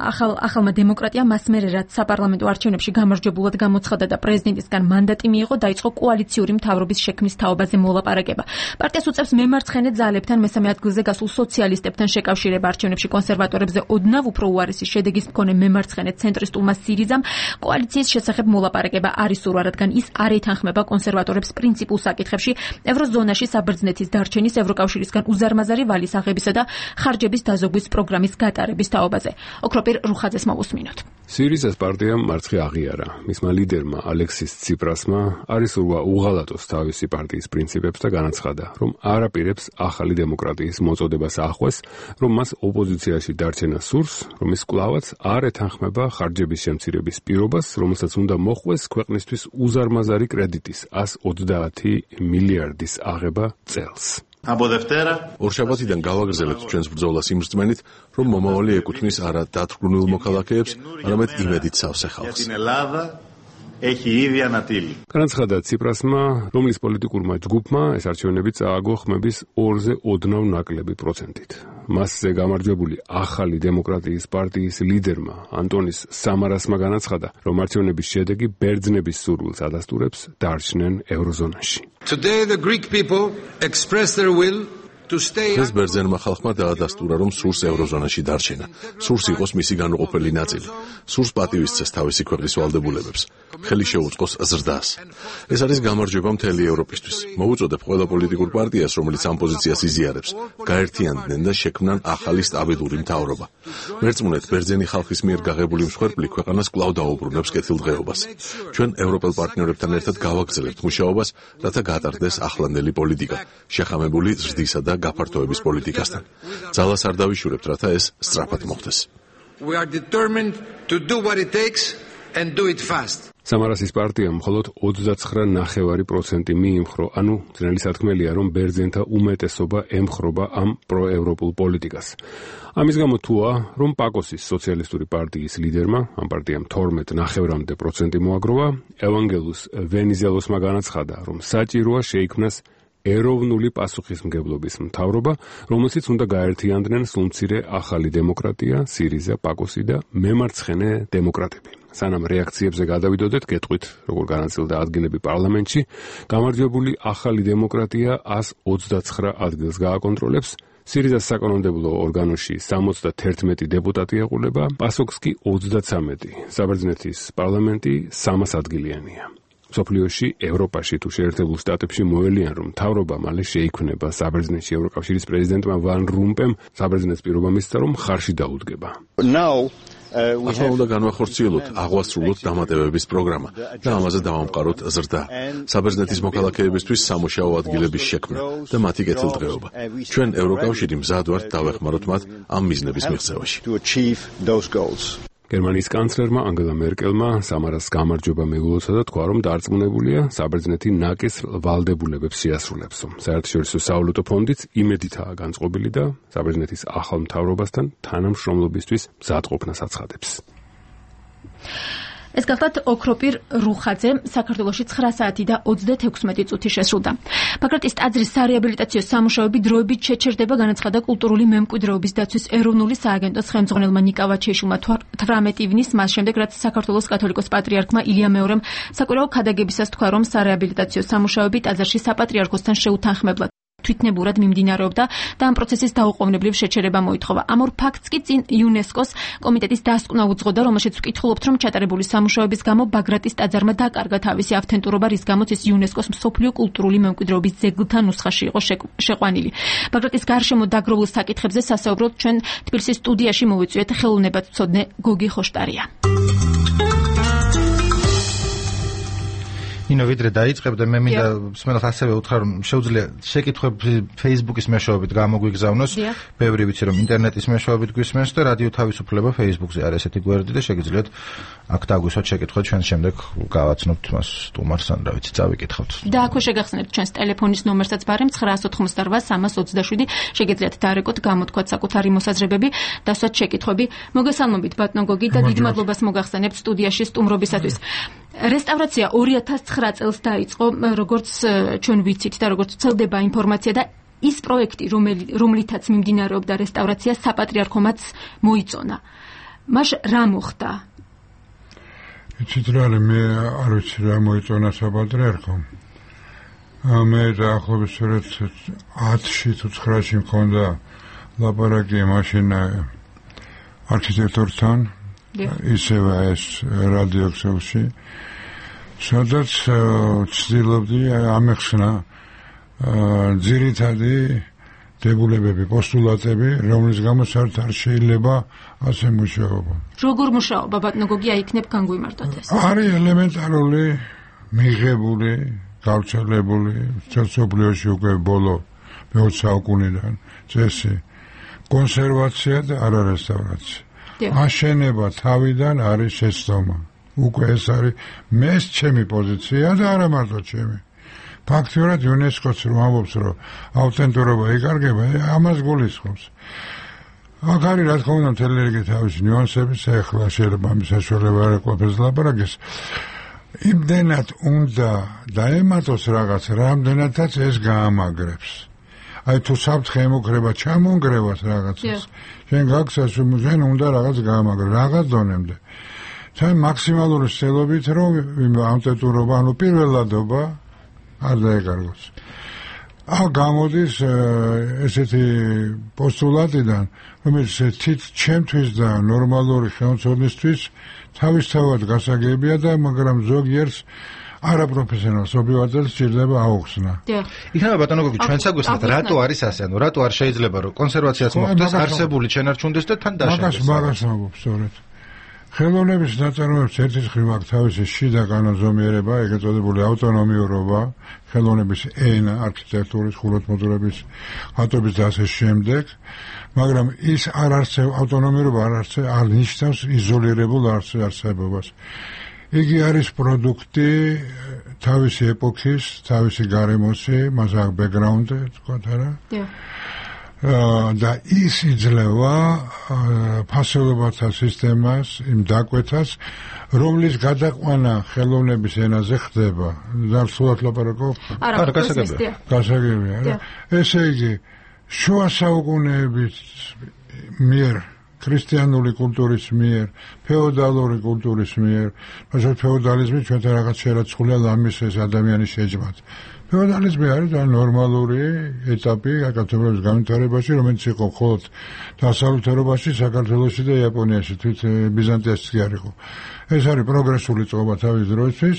ახალ ახალმა დემოკრატიამ მასმერე რაც საპარლამენტო არჩევნებში გამარჯვებულად გამოცხადა და პრეზიდენტისგან მანდატი მიიღო, დაიწყო კოალიციური მთავრობის შექმნის თაობაზე მოლაპარაკება. პარტიას უწევს მემარცხენე ძალებთან მესამე ადგილზე გასულ სოციალისტებთან შეკავშირება. არჩევნებში კონსერვატორებზე ოდნავ უფრო უარესი შედეგის მქონე მემარცხენე ცენტრისტულმა სირიზამ კოალიციის შესახებ მოლაპარაკება არ ისურვა, რადგან ის არ ეთანხმება კონსერვატორებს პრინციპულ საკითხებში ევროზონაში საბერძნეთის დარჩენის, ევროკავშირისგან უზარმაზარი ვალის აღებისა და ხარჯების დაზოგვის პროგრამის გატარების თაობაზე. ოქროპირ რუხაძეს მოვუსმინოთ. სირიზას პარტიამ მარცხი აღიარა. მისმა ლიდერმა ალექსის ციპრასმა არის ურვა უღალატოს თავისი პარტიის პრინციპებს და განაცხადა, რომ არ აპირებს ახალი დემოკრატიის მოწოდებას ახვეს, რომ მას ოპოზიციაში დარჩენა სურს, რომ ის კვლავაც არ ეთანხმება ხარჯების შემცირების პირობას, რომელსაც უნდა მოხვდეს ქვეყნისთვის უზარმაზარი კრედიტის ას ოცდაათი მილიარდის აღება წელს. ორშაბათიდან გავაგრძელებთ ჩვენს ბრძოლას იმ რწმენით, რომ მომავალი ეკუთვნის არა დათრგუნულ მოქალაქეებს, არამედ იმედით სავსე ხალხს. განაცხადა ციპრასმა, რომლის პოლიტიკურმა ჯგუფმა ეს არჩევნები წააგო ხმების ორზე ოდნავ ნაკლები პროცენტით. მასზე გამარჯვებული ახალი დემოკრატიის პარტიის ლიდერმა ანტონის სამარასმა განაცხადა, რომ არჩევნების შედეგი ბერძნების სურვილს ადასტურებს დარჩნენ ევროზონაში. Today the Greek people express their will ეს ბერძენმა ხალხმა დაადასტურა, რომ სურს ევროზონაში დარჩენა. სურს იყოს მისი განუყოფელი ნაწილი. სურს პატივისცეს თავისი ქვეყნის ვალდებულებებს. ხელი შეუწყოს ზრდას. ეს არის გამარჯვება მთელი ევროპისთვის. მოუწოდებ ყველა პოლიტიკურ პარტიას, რომელიც ამ პოზიციას იზიარებს, გაერთიანდნენ და შექმნან ახალი სტაბილური მთავრობა. მერწმუნეთ, ბერძენი ხალხის მიერ გაღებული მსხვერპლი ქვეყანას კვლავ დაუბრუნებს კეთილდღეობას. ჩვენ ევროპელ პარტნიორებთან ერთად გავაგრძელებთ მუშაობას, რათა გატარდეს ახლანდელი პოლიტიკა, შეხამებული ზრდისა და გაფართოების პოლიტიკასთან. ძალას არ დავიშურებთ, რათა ეს სწრაფად მოხდეს. we are determined to do what it takes and do it fast. სამარასის პარტია მხოლოდ ოცდაცხრა ნახევარი პროცენტი მიიმხრო, ანუ ძნელი სათქმელია, რომ ბერძენთა უმეტესობა ემხრობა ამ პროევროპულ პოლიტიკას. ამის გამო თუა, რომ პაკოსის სოციალისტური პარტიის ლიდერმა, ამ პარტიამ თორმეტ ნახევრამდე პროცენტი მოაგროვა, ევანგელუს ვენიზელოსმა განაცხადა, რომ საჭიროა შეიქმნას ეროვნული პასუხისმგებლობის მთავრობა, რომელშიც უნდა გაერთიანდნენ სულმცირე ახალი დემოკრატია, სირიზა, პაკოსი და მემარცხენე დემოკრატები. სანამ რეაქციებზე გადავიდოდეთ, გეტყვით, როგორ განაწილდა ადგილები პარლამენტში, გამარჯვებული ახალი დემოკრატია ას ოცდაცხრა ადგილს გააკონტროლებს, სირიზას საკანონმდებლო ორგანოში სამოცდაერთი დეპუტატი ეყოლება, პასოქს კი ოცდაცამეტი. საბერძნეთის პარლამენტი სამას ადგილიანია. სოფლიოში, ევროპაში თუ შეერთებულ შტატებში მოელიან, რომ მთავრობა მალე შეიქმნება. საბერძნეთში ევროკავშირის პრეზიდენტმა ვან რომპემ საბერძნეთს პირობა მისცა, რომ ხარში დაუდგება. ახლა უნდა განვახორციელოთ აღვასრულოთ დამატებების პროგრამა და ამაზე დავამყაროთ ზრდა. საბერძნეთის მოქალაქეებისთვის სამუშაო ადგილების შექმნა და მათი კეთილდღეობა. ჩვენ ევროკავშირი მზად ვართ დავეხმაროთ მათ ამ მიზნების მიღწევაში. გერმანიის კანცლერმა ანგელა მერკელმა სამარას გამარჯვება მიულოცა და თქვა, რომ დარწმუნებულია საბერძნეთი ნაკის ვალდებულებებს შეასრულებს. საერთაშორისო სავალუტო ფონდიც იმედითაა განწყობილი და საბერძნეთის ახალ მთავრობასთან თანამშრომლობისთვის მზადყოფნას აცხადებს. ეს გახლავთ ოქროპირ რუხაძე, საქართველოში ცხრა საათი და ოცდათექვსმეტი წუთი შესრულდა. ბაგრატის ტაძრის სარეაბილიტაციო სამუშაოები დროებით შეჩერდება, განაცხადა კულტურული მემკვიდრეობის დაცვის ეროვნული სააგენტოს ხელმძღვანელმა ნიკა ვაჩეიშვილმა თვრამეტი ივნის, მას შემდეგ რაც საქართველოს კათოლიკოს პატრიარქმა ილია მეორემ საკვირაო ქადაგებისას თქვა, რომ სარეაბილიტაციო სამუშაოები ტაძარში საპატრიარქოსთან შეუთანხმებლად თვითნებურად მიმდინარეობდა და ამ პროცესის დაუყოვნებლივ შეჩერება მოითხოვა. ამ ორ ფაქტს კი წინ იუნესკოს კომიტეტის დასკვნა უძღოდა, რომელშიც ვკითხულობთ, რომ ჩატარებული სამუშაოების გამო ბაგრატის ტაძარმა დაკარგა თავისი ავთენტურობა, რის გამოც ის იუნესკოს მსოფლიო კულტურული მემკვიდრეობის ძეგლთა ნუსხაში იყო შეყვანილი. ბაგრატის გარშემო დაგროვილ საკითხებზე სასაუბროდ ჩვენ თბილისის სტუდიაში მოვიწვიეთ ხელოვნებათმცოდნე გოგი ხოშტარია. ინო ვიდრე დაიწყებდა მე მინდა მსმენელს ასევე უთხრა რომ შეუძლია შეკითხვები Facebook-ის მეშვეობით გამოგვიგზავნოს. ბევრი ვიცი რომ ინტერნეტის მეშვეობით გვისმენს და რადიო თავისუფლება Facebook-ზე არის ესეთი გვერდი და შეგიძლიათ აქ დაგვისვათ შეკითხვა, ჩვენ შემდეგ გავაცნობთ მას სტუმარს ან რა ვიცი წავიკითხავთ. და აქვე შეგახსენებთ ჩვენს ტელეფონის ნომერსაც ბარემ ცხრაას ოთხმოცდარვა სამას ოცდაშვიდი, შეგიძლიათ დაარეკოთ, გამოთქვათ საკუთარი მოსაზრებები, დასვათ შეკითხვები. მოგესალმებით ბატონო გოგი და დიდ მადლობას მოგახსენებთ სტუდიაში სტუმრობისათვის. რესტავრაცია ორი ათას ცხრა წელს დაიწყო, როგორც ჩვენ ვიცით და როგორც ვრცელდება ინფორმაცია და ის პროექტი, რომლითაც მიმდინარეობდა რესტავრაცია, საპატრიარქომაც მოიწონა. მაშ რა მოხდა? იცით რა, მე არ ვიცი რა მოიწონა საპატრიარქომ. მე დაახლოებით სწორედ ათში თუ ცხრაში მქონდა ლაპარაკი მაშინ არქიტექტორთან, ისევე ეს რადიო ქსელში, სადაც ცდილობდი ამეხსნა ძირითადი დებულებები, პოსტულატები, რომლის გამოც არ შეიძლება ასე მუშაობა. როგორ მუშაობა, ბატონო გოგი, აიქნებ განგვიმარტოთ ეს? არის ელემენტარული, მიღებული, გავრცელებული, სოციოლოგიაში უკვე ბოლო მეოცე საუკუნიდან წესი, კონსერვაცია და არარესტავრაცია. აშენება თავიდან არის შეცდომა. უკვე ეს არის მეც ჩემი პოზიცია და არა მარტო ჩემი. ფაქტიურად იუნესკოც რომ ამბობს, რომ ავთენტურობა იკარგება, ამას გულისხმობს. აქ არის რა თქმა უნდა მთელი რიგი თავისი ნიუანსები, ახლა შეიძლება ამის საშუალება არ ეყოფეს ლაპარაკის. იმდენად უნდა დაემატოს რაღაც, რამდენადაც ეს გაამაგრებს. აი თუ საფრთხე ემუქრება ჩამონგრევას რაღაცას, შენ გაგცეს შენ უნდა რაღაც გაამაგრე, რაღაც დონემდე. თან მაქსიმალური ცდილობით რომ ავტენტურობა, ანუ პირველადობა არ დაეკარგოს. აქ გამოდის ესეთი პოსტულატიდან, რომელიც თით ჩემთვის და ნორმალური ხელმძღვანელისთვის თავისთავად გასაგებია და მაგრამ ზოგიერთს არაპროფესიონალს ობივაძელს სჭირდება აუხსნა. იქნება ბატონო გოგი, ჩვენც აგვესწრათ, რატო არის ასე, ანუ რატო არ შეიძლება რომ კონსერვაციაც მოხდეს, არსებული შენარჩუნდეს და თან დაშენდეს. მაგას მაგას ამბობ სწორედ. ხელოვნების ნაწარმოებებს ერთის მხრივ აქვს თავისი შიდა კანონზომიერება, ეგრეთ წოდებული ავტონომიურობა, ხელოვნების ენა, არქიტექტურის, ხუროთმოძღვრების, ხატვების და ასე შემდეგ, მაგრამ ის არ არსებობს ავტონომიურობა არ არსებობს, არ ნიშნავს იზოლირებულ არსებობას. იგი არის პროდუქტი თავისი ეპოქის, თავისი გარემოსი, მას აქვს ბექგრაუნდი, თქვათ არა? და ის იძლევა ფასეულობათა სისტემას, იმ დაკვეთას, რომლის გადაყვანა ხელოვნების ენაზე ხდება. და სულად ლაპარაკობ? არა, გასაგებია. გასაგებია, რა. ესე იგი, შუა საუკუნეების მიერ ქრისტიანული კულტურის მიერ, ფეოდალური კულტურის მიერ, თუმცა ფეოდალიზმი ჩვენთან რაღაც შერაცხულია ლამის ეს ადამიანის შეჯმად. ფეოდალიზმი არის და ნორმალური ეტაპი კაცობრიობის განვითარებაში, რომელიც იყო მხოლოდ დასავლეთ ევროპაში, საქართველოში და იაპონიაში, თვით ბიზანტიაშიც კი არ იყო. ეს არის პროგრესული წყობა თავის დროისთვის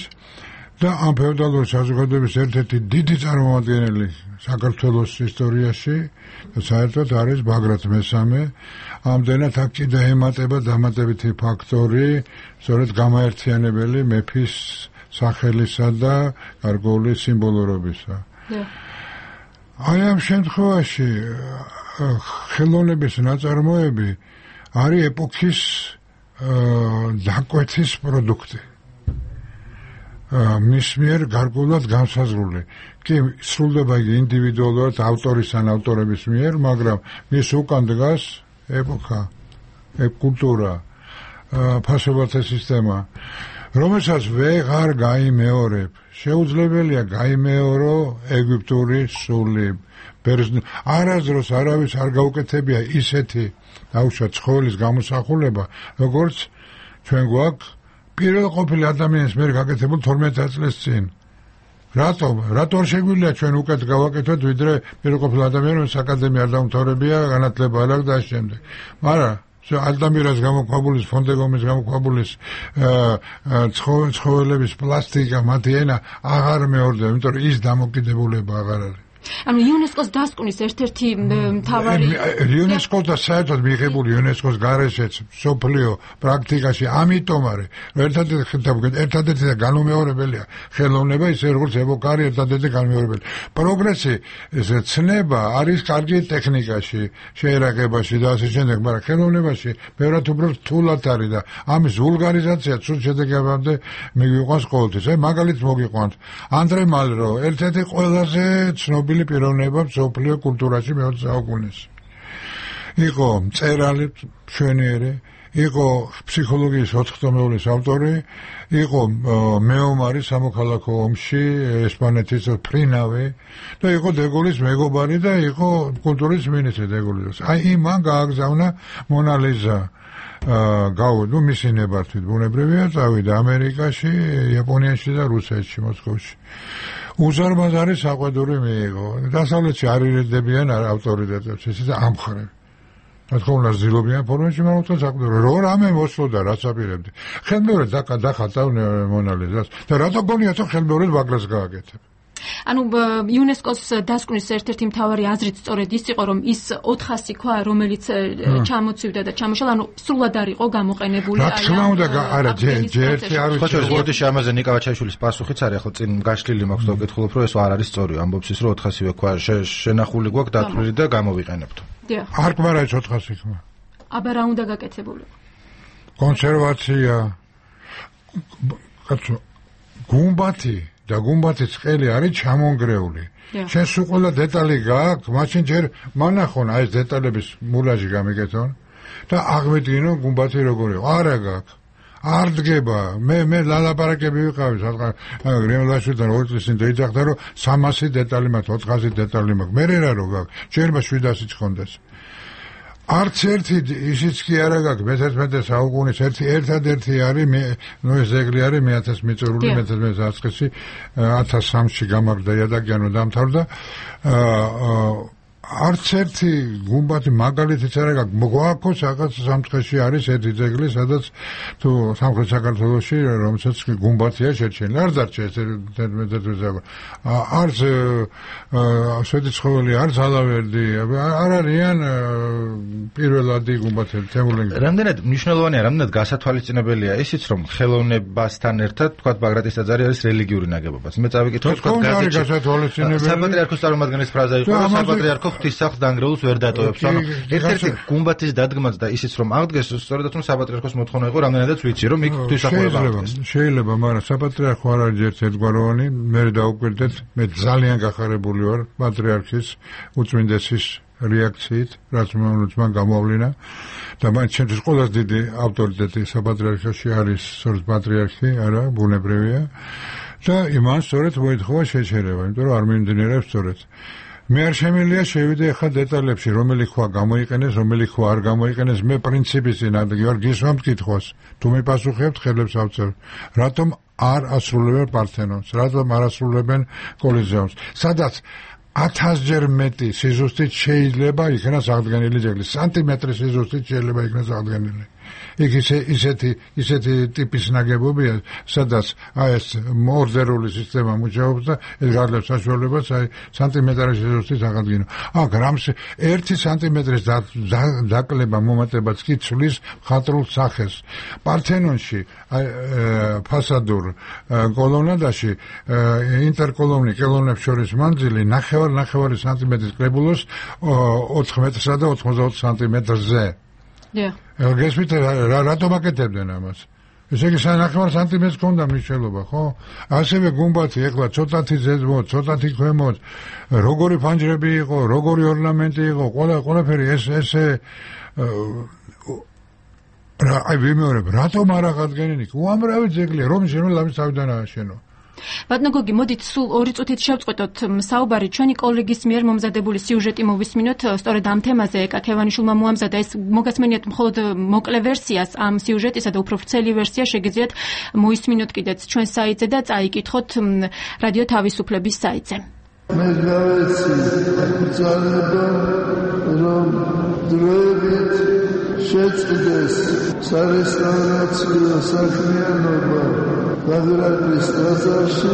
და ამ ფეოდალური საზოგადოების ერთ-ერთი დიდი წარმომადგენელი საქართველოს ისტორიაში და საერთოდ არის ბაგრატ მესამე. ამდენად აქ კიდე ემატება დამატებითი ფაქტორი, სწორედ გამაერთიანებელი მეფის სახელისა და გარკვეული სიმბოლურობისა. აი ამ შემთხვევაში ხელოვნების ნაწარმოები არის ეპოქის დაკვეთის პროდუქტი. მის მიერ გარკვეულად განსაზღვრული. კი, სრულდება იგი ინდივიდუალურად ავტორის ან ავტორების მიერ, მაგრამ მის უკან დგას ეპოქა, კულტურა, ფასეულობათა სისტემა, რომელსაც ვეღარ გაიმეორებ. შეუძლებელია გაიმეორო ეგვიპტური სული. არასდროს არავის არ გაუკეთებია ისეთი დაუშვათ ცხოველის გამოსახულება, როგორც ჩვენ გვაქვს პირველ ყოფილი ადამიანის მიერ გაკეთებულ თორმეტ წლის წინ. რატომ? რატომ შეგვიძლია ჩვენ უკეთ გავაკეთოთ, ვიდრე პირველ ყოფილი ადამიანის აკადემია არ დაუმთავრებია, განათლება არ აქვს და ამ შემდეგ. მაგრამ ალტამირას გამოქვაბულის, ფონდეგომის გამოქვაბულის ცხოველების პლასტიკა, მათი ენა აღარ მეორდება, იმიტომ რომ ის დამოკიდებულება აღარ არის. ანუ იუნესკოს დასკვნის ერთ-ერთი მთავარი იუნესკოს და საერთოდ მიღებული იუნესკოს გარეშეც სოფლიო პრაქტიკაში ამიტომ არის ერთადერთი ერთადერთი და განუმეორებელია ხელოვნება ისე როგორც ეპოქა არის ერთადერთი განუმეორებელი პროგრესი ეს ცნება არის კარგი ტექნიკაში შეერაგებაში და ასე შემდეგ მაგრამ ხელოვნებაში ბევრად უფრო რთულად არის და ამის ვულგარიზაცია ცუდ შედეგებამდე მიგვიყვანს ყოველთვის აი მაგალითს მოგიყვანთ ანდრე მალრო ერთ-ერთი ყველაზე ცნობილი პიროვნება მსოფლიო კულტურაში მეოცე საუკუნეში. იყო მწერალი მშვენიერი, იყო ფსიქოლოგიის ოთხტომეულის ავტორი, იყო მეომარი სამოქალაქო ომში, ესპანეთის ფრინავი და იყო დეგოლის მეგობარი და იყო კულტურის მინისტრი დეგოლის. აი იმან გააგზავნა მონა ლიზა. გაუ ნუ მისი ნებართვით ბუნებრივია წავიდა ამერიკაში, იაპონიაში და რუსეთში, მოსკოვში. უზარმაზარი საყვედური მიიღო. დასავლეთში არ ირიდებიან ავტორიტეტებს, ისე ამხრენ. რა თქმა უნდა, ზილობიან ფორმაში, მაგრამ თვითონ საყვედური. რო რამე მოსვლოდა, რაც აპირებდი. ხელმეორედ დახატა მონა ლიზას და რატო გონია თუ ხელმეორედ ბაგრას გააკეთებ? ანუ იუნესკოს დასკვნის ერთ-ერთი მთავარი აზრით სწორედ ის იყო, რომ ის ოთხასი ქვა, რომელიც ჩამოცივდა და ჩამოშალა, ანუ სრულად არ იყო გამოყენებული. რა თქმა უნდა, არა, ჯერტი არ ვიცი. ხო, ხოდიში ამაზე ნიკა ვაჩაიშვილის პასუხიც არის, ხო, წინ გაშლილი მაქვს და ვკითხულობ, რომ ეს არ არის სწორი, ამბობს ის, რომ ოთხასივე ქვა შენახული გვაქვს დათვლილი და გამოვიყენებთ. არ გვარა ეს ოთხასი ქვა. აბა რა უნდა გაკეთებულიყო? კონსერვაცია. კაცო, გუმბათი და გუმბათის ყელი არის ჩამონგრეული. შენ სულ ყველა დეტალი გააქვს, მაშინ ჯერ მანახონ აი ეს დეტალების მულაჟი გამიგეთონ და აღმედგინო გუმბათი როგორ იყო. არა გააქვს. არ დგება. მე მე ლალაპარაკები ვიყავი, სადღაც გრემლაშვილთან ორი წლის წინ დაიძახდა, რომ სამასი დეტალი მაქვს, ოთხასი დეტალი მაქვს. მე რა რო გააქვს? შეიძლება შვიდასიც ხონდეს. არც ერთი ისიც კი არა გაქვს მეთერთმეტე საუკუნის ერთი ერთადერთი არის ნუ ეს ზეგლი არის მე ათას მიწურული მეთერთმეტე საუკუნეში ათას სამში გამაგრდა იადაგიანო დამთავრდა არც ერთი გუმბათი მაგალითიც არ აქვს. გვაქვს რაღაც სამცხეში არის ერთი ძეგლი, სადაც თუ სამხრეთ საქართველოში რომელსაც გუმბათია შეჩენილი. არ დარჩა ეს თერთმეტი არც სვეტიცხოველი, არც ალავერდი, არ არიან პირველადი გუმბათები თემურლენგი. რამდენად მნიშვნელოვანია, რამდენად გასათვალისწინებელია ისიც, რომ ხელოვნებასთან ერთად თქვა ბაგრატის ტაძარი არის რელიგიური ნაგებობაც. მე წავიკითხე თქვა გაზეთში. საპატრიარქოს წარმომადგენლის ფრაზა იყო, რომ საპატრიარქო ღვთისმსახურს დანგრეულს ვერ დატოვებს. ანუ ერთ-ერთი გუმბათის დადგმაც და ისიც რომ აღდგეს, სწორედაც რომ საპატრიარქოს მოთხოვნა იყო, რამდენადაც ვიცი, რომ იქ ღვთისმსახურება აღდგეს. შეიძლება, მაგრამ საპატრიარქო არ არის ერთ-ერთგვაროვანი, მე დავუკვირდეთ, მე ძალიან გახარებული ვარ პატრიარქის უწმინდესის რეაქციით, რაც მან გამოავლინა და მან ჩემთვის ყველაზე დიდი ავტორიტეტი საპატრიარქოში არის სწორედ პატრიარქი, არა, ბუნებრივია და იმან სწორედ მოითხოვა შეჩერება, იმიტომ რომ არ მიმდინარეობს სწორედ. მე არ შემიძლია შევიდე ახლა დეტალებში, რომელი ხვა გამოიყენეს, რომელი ხვა არ გამოიყენეს, მე პრინციპის წინააღმდეგ ვარ, გისვამთ კითხვას. თუ მიპასუხებთ, ხელებს ავწევ. რატომ არ ასრულებენ პართენონს, რატომ არ ასრულებენ კოლიზეუმს, სადაც ათასჯერ მეტი სიზუსტით შეიძლება იქნას აღდგენილი ძეგლი, სანტიმეტრის სიზუსტით შეიძლება იქნას აღდგენილი. იქ ისე ისეთი ისეთი ტიპის ნაგებობია, სადაც აი ეს ორდერული სისტემა მუშაობს და ეს გადლებს საშუალებას აი სანტიმეტრის სიზუსტით აღადგინო. აქ რამს ერთი სანტიმეტრის დაკლება მომატებაც კი ცვლის მხატვრულ სახეს. პართენონში აი ფასადურ კოლონადაში ინტერკოლონი კოლონებს შორის მანძილი ნახევარ ნახევარი სანტიმეტრის კლებულობს ოთხ მეტრსა და ოთხმოცდაოთხ სანტიმეტრზე. დიახ. გესმით რატომ აკეთებდნენ ამას? ესე იგი ნახევარ სანტიმეტრს ქონდა მნიშვნელობა, ხო? ასევე გუმბათი ეხლა ცოტათი ზედმოთ, ცოტათი ქვემოთ, როგორი ფანჯრები იყო, როგორი ორნამენტი იყო, ყველა ყველაფერი ეს ესე რა აი ვიმეორებ, რატომ არ აღადგენინი? უამრავი ძეგლია, რომის შემოვლამის თავიდან ააშენო. ბატონო გოგი, მოდით სულ ორი წუთით შევწყვეტოთ საუბარი. ჩვენი კოლეგის მიერ მომზადებული სიუჟეტი მოვისმინოთ, სწორედ ამ თემაზე ეკა ქევანიშვილმა მოამზადა. ეს მოგასმენიათ მხოლოდ მოკლე ვერსიას ამ სიუჟეტისა და უფრო ვრცელი ვერსია შეგიძლიათ მოისმინოთ კიდეც ჩვენ საიტზე და წაიკითხოთ რადიო თავისუფლების საიტზე. მე გავეცი ძალება რომ დროებით შეწყდეს სარესტავრაციო საქმიანობა ბაგრატის ტაძარში.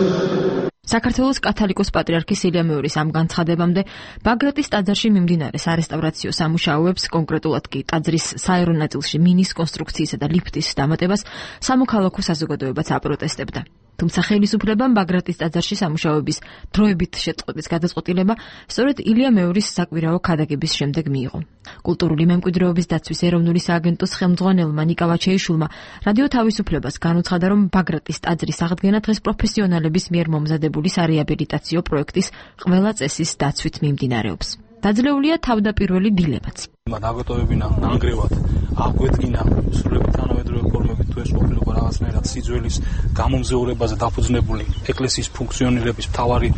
საქართველოს კათოლიკოს პატრიარქის ილია მეორის ამ განცხადებამდე ბაგრატის ტაძარში მიმდინარე სარესტავრაციო სამუშაოებს, კონკრეტულად კი ტაძრის საერო ნაწილში მინის კონსტრუქციისა და ლიფტის დამატებას სამოქალაქო საზოგადოებაც აპროტესტებდა. თუმცა ხელისუფლებამ ბაგრატის ტაძარში სამუშაოების დროებით შეწყვეტის გადაწყვეტილება სწორედ ილია მეორის საკვირაო ქადაგების შემდეგ მიიღო. კულტურული მემკვიდრეობის დაცვის ეროვნული სააგენტოს ხელმძღვანელმა ნიკა ვაჩეიშვილმა რადიო თავისუფლებას განუცხადა, რომ ბაგრატის ტაძრის აღდგენა დღეს პროფესიონალების მიერ მომზადებული სარეაბილიტაციო პროექტის ყველა წესის დაცვით მიმდინარეობს. დაძლეულია თავდაპირველი დილებაც. დაგოტოვებინა ნანგრევად აგვედგინა სრულებით თანამედროვე ფორმებით თუ ეს ყოფილიყო რაღაცნაირად სიძველის გამომზეურებაზე დაფუძნებული ეკლესიის ფუნქციონირების მთავარი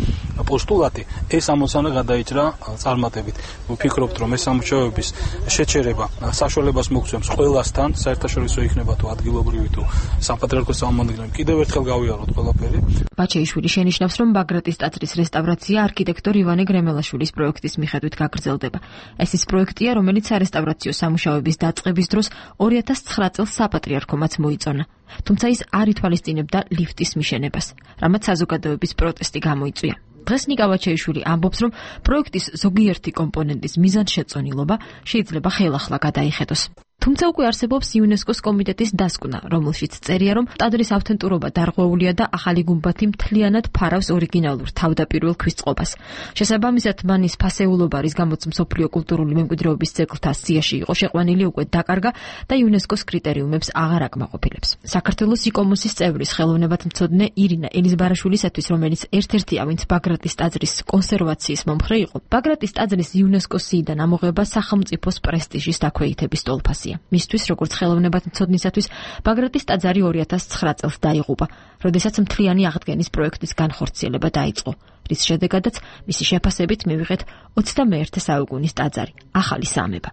პოსტულატი, ეს ამოცანა გადაიჭრა წარმატებით. ვფიქრობთ, რომ ეს სამუშაოების შეჩერება საშუალებას მოგცემს ყველასთან, საერთაშორისო იქნება თუ ადგილობრივი თუ საპატრიარქოს წარმომადგენლები, კიდევ ერთხელ გავიაროთ ყველაფერი. ბაჩეიშვილი შენიშნავს, რომ ბაგრატის ტაძრის რესტავრაცია არქიტექტორ ივანე გრემელაშვილის პროექტის მიხედვით გაგრძელდება. ეს ის პროექტია, რომელიც სარესტავრაციო სამუშაოების დაწყების დროს ორი ათას ცხრა წელს საპატრიარქომაც მოიწონა. თუმცა ის არ ითვალისწინებდა ლიფტის მიშენებას, რამაც საზოგადოების პროტესტი გამოიწვია. დღეს ნიკა ვაჩეიშვილი ამბობს, რომ პროექტის ზოგიერთი კომპონენტის მიზანშეწონილობა შეიძლება ხელახლა გადაიხედოს. თუმცა უკვე არსებობს იუნესკოს კომიტეტის დასკვნა, რომელშიც წერია, რომ ტაძრის ავთენტურობა დარღვეულია და ახალი გუმბათი მთლიანად ფარავს ორიგინალურ თავდაპირველ ქვის წყობას. შესაბამისად, მან ის ფასეულობა, რის გამოც მსოფლიო კულტურული მემკვიდრეობის ძეგლთა სიაში იყო შეყვანილი, უკვე დაკარგა და იუნესკოს კრიტერიუმებს აღარ აკმაყოფილებს. საქართველოს იკომოსის წევრის ხელოვნებათმცოდნე ირინა ელიზბარაშვილისათვის, რომელიც ერთ-ერთია, ვინც ბაგრატის ტაძრის კონსერვაციის მომხრე იყო, ბაგრატის ტაძრის იუნესკოს სიიდან ამოღება სახელმწიფოს პრესტიჟის დაქვეითების ტოლფასია. მისთვის, როგორც ხელოვნებათმცოდნისათვის, ბაგრატის ტაძარი ორი ათას ცხრა წელს დაიღუპა, როდესაც მთლიანი აღდგენის პროექტის განხორციელება დაიწყო, რის შედეგადაც მისი შეფასებით მივიღეთ ოცდამეერთე საუკუნის ტაძარი, ახალი სამება.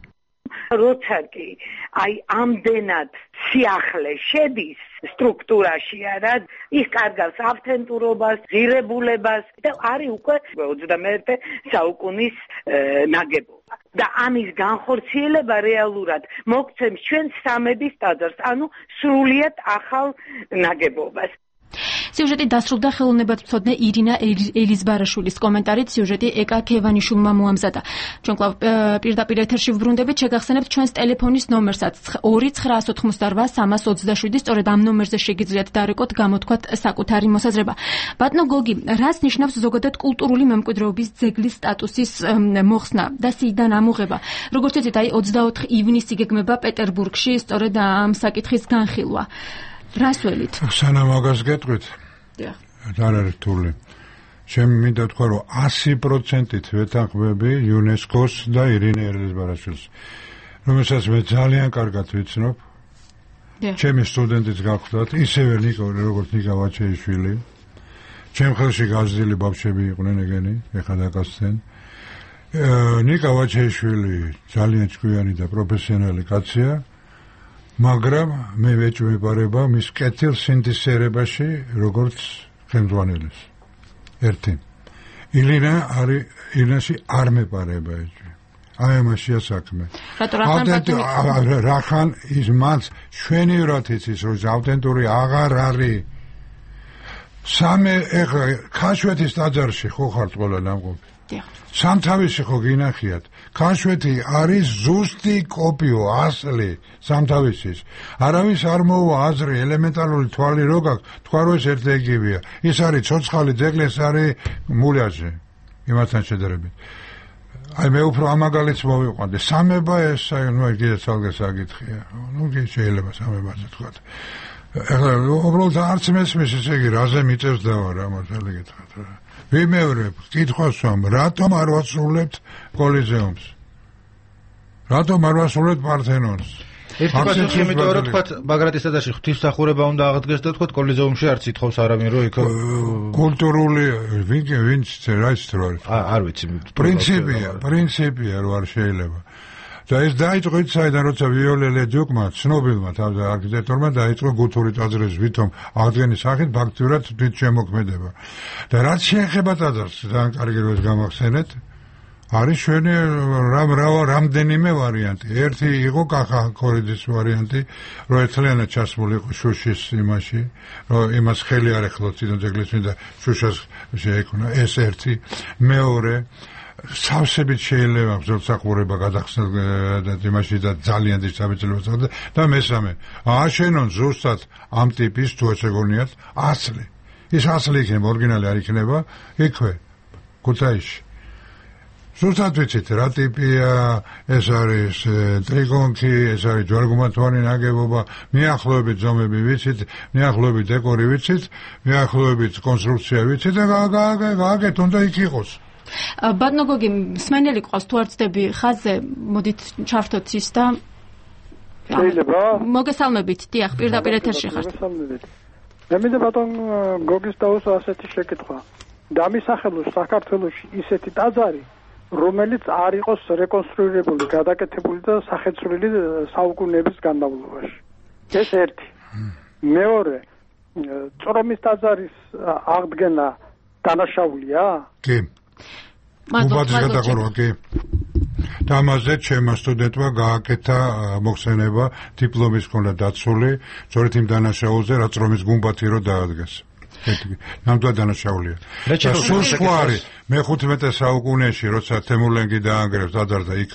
როცა კი აი ამდენად სიახლე შედის სტრუქტურაში არა, ის კარგავს ავთენტურობას, ღირებულებას და არის უკვე ოცდამეერთე საუკუნის ნაგებობა. და ამის განხორციელება რეალურად მოგცემს ჩვენ სამების ტაძარს, ანუ სრულიად ახალ ნაგებობას. სიუჟეტი დასრულდა ხელოვნებათმცოდნე ირინა ელიზბარაშვილის კომენტარით, სიუჟეტი ეკა ქევანიშვილმა მოამზადა. ჩვენ კვლავ პირდაპირ ეთერში ვბრუნდებით, შეგახსენებთ ჩვენს ტელეფონის ნომერსაც ორი ცხრაას ოთხმოცდარბა სამას ოცდაშვიდი, სწორედ ამ ნომერზე შეგიძლიათ დარეკოთ, გამოთქვათ საკუთარი მოსაზრება. ბატონო გოგი, რას ნიშნავს ზოგადად კულტურული მემკვიდრეობის ძეგლის სტატუსის მოხსნა და სიიდან ამოღება? როგორც იცით, აი ოცდაოთხ ივნისი გეგმება პეტერბურგში, სწორედ ამ საკითხის განხილვა. რას ველით? სანამ მაგას გეტყვით. დიახ. არ არის რთული. ჩემი მინდა თქვა, რომ ასი პროცენტით ვეთანხმები იუნესკოს და ირინე ელიზბარაშვილს, რომელსაც მე ძალიან კარგად ვიცნობ. ჩემი სტუდენტიც გახლდათ, ისევე ნიკო, როგორც ნიკა ვაჩეიშვილი. ჩემ ხელში გაზრდილი ბავშვები იყვნენ ეგენი, ეხლა დაკაცდნენ. ნიკა ვაჩეიშვილი ძალიან ჭკვიანი და პროფესიონალი კაცია. მაგრამ მე ვეჭვმეპარება მის კეთილ სინთეზირებაში როგორც ხელმძღვანელის. ერთი. ილინა არის ილინაში არ მეპარება ეჭვი. აი ამაშია საქმე. რახან ის მას შვენივრად იცის, რომ ავთენტური აღარ არის. სამე ეხლა ქაშვეთის ტაძარში ხო ხართ ყველა ნამყოფი? სამთავისი ხო გინახიათ? ქაშვეთი არის ზუსტი კოპიო, ასლი სამთავისის. არავის არ მოუვა აზრი, ელემენტარული თვალი რო გაქვს, თქვა რომ ეს ერთ-ეგივეა. ის არის ცოცხალი ძეგლი, ეს არის მულიაჟი. იმასთან შედარებით. აი მე უფრო ამაგალიც მოვიყვანდი. სამება ეს, აი ნუ კიდე ცალკე საკითხია. ნუ შეიძლება სამებაზე თქვა. ეხლა უბრალოდ არც მესმის ესე იგი რაზე მიწევს დავარ ამათალი გითხრათ. ვიმეორებ, კითხვას ვამ, რატომ არ ვასრულებთ კოლიზეუმს? რატომ არ ვასრულებთ პართენონს? ერთი პასუხი იმიტომ რომ თქვა ბაგრატის ტაძარში ღვთისმსახურება უნდა აღდგეს და თქვა კოლიზეუმში არც ითხოვს არავინ რომ იქ კულტურული ვინ ვინც რაიც რო არის. არ ვიცი. პრინციპია, პრინციპია რომ არ შეიძლება. და ეს დაიწყო ის საიდან როცა ვიოლელე დიუკმა ცნობილმა თავზე არქიტექტორმა დაიწყო გუთური ტაძრის ვითომ აღდგენის სახით ფაქტურად თვით შემოქმედება. და რაც შეეხება ტაძარს, ძალიან კარგი რომ გამახსენეთ, არის ჩვენი რამ რამდენიმე ვარიანტი. ერთი იყო კახა კორიდის ვარიანტი, რომ ერთლიანად ჩასმული იყო შუშის იმაში, რომ იმას ხელი არ ეხლოთ თვითონ ძეგლის და შუშას შეეკუნა. ეს ერთი. მეორე სავსებით შეიძლება ბრძოლსახურება გადახსნილ და იმაში და ძალიან დიდ საბრძოლოებას და მესამე აშენონ ზუსტად ამ ტიპის თუ შეგონიათ ასლი. ის ასლი იქნება, ორიგინალი არ იქნება იქვე ქუთაისში. ზუსტად ვიცით რა ტიპია, ეს არის ტრიკონქი, ეს არის ჯვარგუმათოვანი ნაგებობა, მიახლოებით ზომები ვიცით, მიახლოებით დეკორი ვიცით, მიახლოებით კონსტრუქცია ვიცით და გააკეთ უნდა იქ იყოს. ბატონო გოგი, მსმენელი ყავს თუ არ ცდები ხაზზე, მოდით ჩავრთოთ ის და შეიძლება მოგესალმებით, დიახ, პირდაპირ ეთერში ხართ. მოგესალმებით. მე მინდა ბატონ გოგის დაუსვა ასეთი შეკითხვა. დამისახელოს საქართველოში ისეთი ტაძარი, რომელიც არ იყოს რეკონსტრუირებული, გადაკეთებული და სახეცვლილი საუკუნეების განმავლობაში. ეს ერთი. მეორე, წრომის ტაძარის აღდგენა დანაშაულია? კი. უბაძის გადახურვა კი. და ამაზე ჩემმა სტუდენტმა გააკეთა მოხსენება დიპლომის მქონდა დაცული, სწორედ იმ დანაშაულზე, რაც რომის გუმბათი რო დაადგეს. ნამდვილად დანაშაულია. და სულ სხვა არის მეხუთმეტე საუკუნეში, როცა თემურლენგი დაანგრევს ტაძარს და იქ